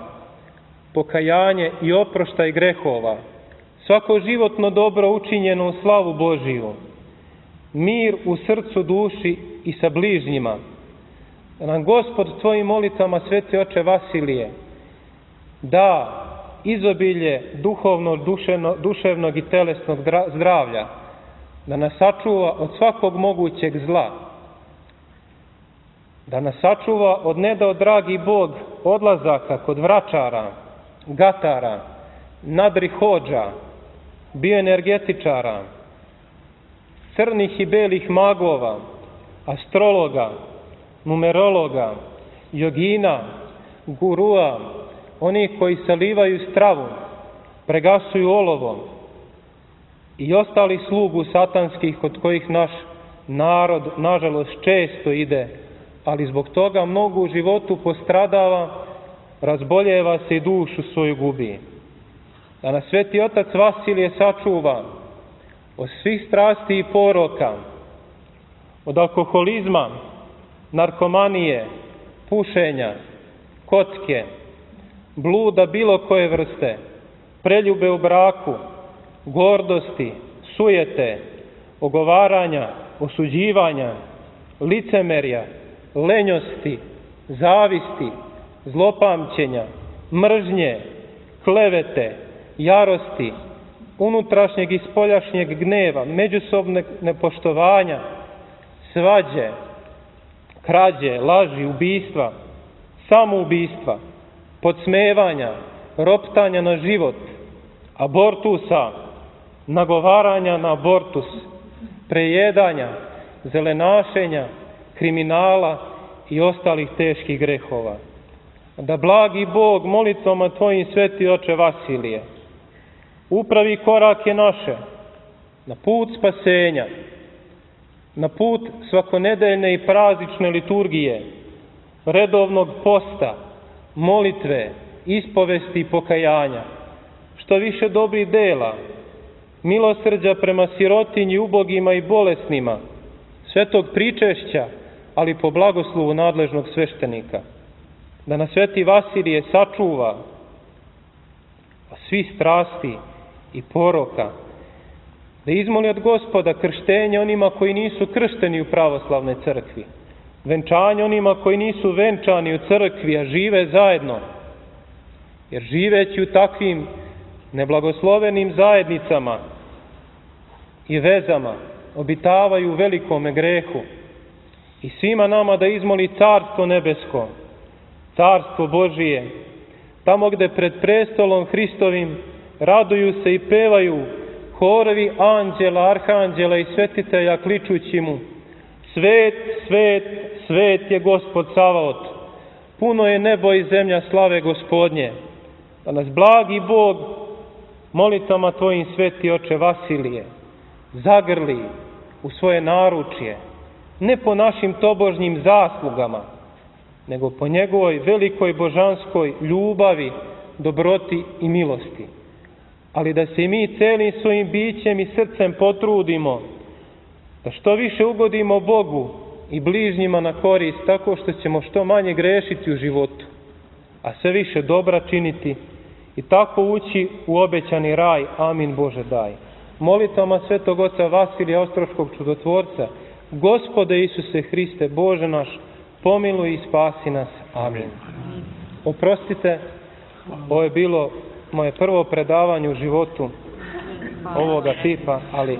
pokajanje i oproštaj grehova, svako životno dobro učinjeno u slavu Božiju, mir u srcu, duši i sa bližnjima. Da nam Gospod svojim molitvama, sveti oče Vasilije, da izobilje duhovno, duševno, duševnog i telesnog zdravlja, da nas sačuva od svakog mogućeg zla, da nas sačuva od nedao dragi Bog odlazaka kod vračara, gatara, nadrihođa, bioenergetičara, crnih i belih magova, astrologa, numerologa, jogina, gurua, oni koji salivaju stravu, pregasuju olovo i ostali slugu satanskih kod kojih naš narod, nažalost, često ide, ali zbog toga mnogo u životu postradava, razboljeva se i dušu svoju gubi. Da nas sveti otac Vasilije sačuva od svih strasti i poroka, od alkoholizma, narkomanije, pušenja, kocke, bluda bilo koje vrste, preljube u braku, gordosti, sujete, ogovaranja, osuđivanja, licemerja, lenjosti, zavisti, zlopamćenja, mržnje, klevete, jarosti, unutrašnjeg i spoljašnjeg gneva, međusobnog nepoštovanja, svađe, krađe, laži, ubistva, samoubistva, podsmevanja, roptanja na život, abortusa, nagovaranja na abortus, prejedanja, zelenašenja, kriminala i ostalih teških grehova. da blagi Bog molitvama Tvojim, sveti oče Vasilije, upravi korake naše na put spasenja, na put svakonedeljne i praznične liturgije, redovnog posta, molitve, ispovesti i pokajanja, što više dobrih dela, milosrđa prema sirotinji, ubogima i bolesnima, svetog pričešća, ali po blagoslovu nadležnog sveštenika, da nas sveti Vasilije sačuva svih strasti i poroka, da izmoli od Gospoda krštenje onima koji nisu kršteni u pravoslavnoj crkvi, venčanje onima koji nisu venčani u crkvi, a žive zajedno, jer živeći u takvim neblagoslovenim zajednicama i vezama obitavaju u velikome grehu. I svima nama da izmoli Carstvo nebesko, Carstvo Božije, tamo gde pred prestolom Hristovim raduju se i pevaju horovi anđela, arhanđela i svetitelja kličući mu: svet, svet, svet je Gospod Savaot, puno je nebo i zemlja slave Gospodnje. Da nas blagi Bog molitvama Tvojim, sveti oče Vasilije, zagrli u svoje naručje, ne po našim tobožnjim zaslugama, nego po njegovoj velikoj božanskoj ljubavi, dobroti i milosti. Ali da se i mi celim svojim bićem i srcem potrudimo da što više ugodimo Bogu i bližnjima na korist, tako što ćemo što manje grešiti u životu, a sve više dobra činiti i tako ući u obećani raj. Amin Bože daj. Molitvama svetog oca Vasilija Ostroškog čudotvorca, Gospode Isuse Hriste, Bože naš, pomiluj i spasi nas. Amin. Oprostite, ovo je bilo moje prvo predavanje u životu ovoga tipa, ali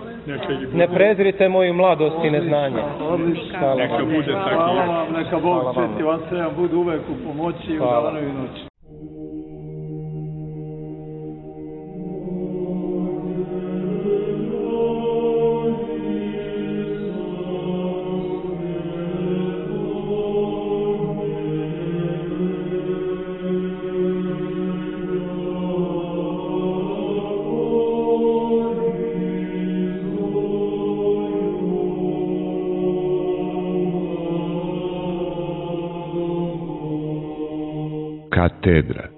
ne prezrite moju mladost i neznanje. Neka bude tako. Hvala vam, neka Bog sveti vam sve vam budu uvek u pomoći i u danu i noći. Katedra.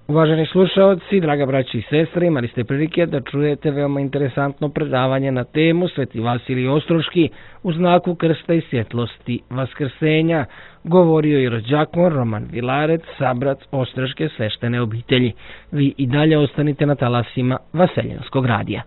Uvaženi slušaoci, draga braći i sestre, imali ste prilike da čujete veoma interesantno predavanje na temu Sveti Vasilij Ostroški u znaku krsta i svjetlosti vaskrsenja. Govorio je rođakon Roman Vilarec, sabrac Ostroške sveštene obitelji. Vi i dalje ostanite na talasima Vaseljenskog radija.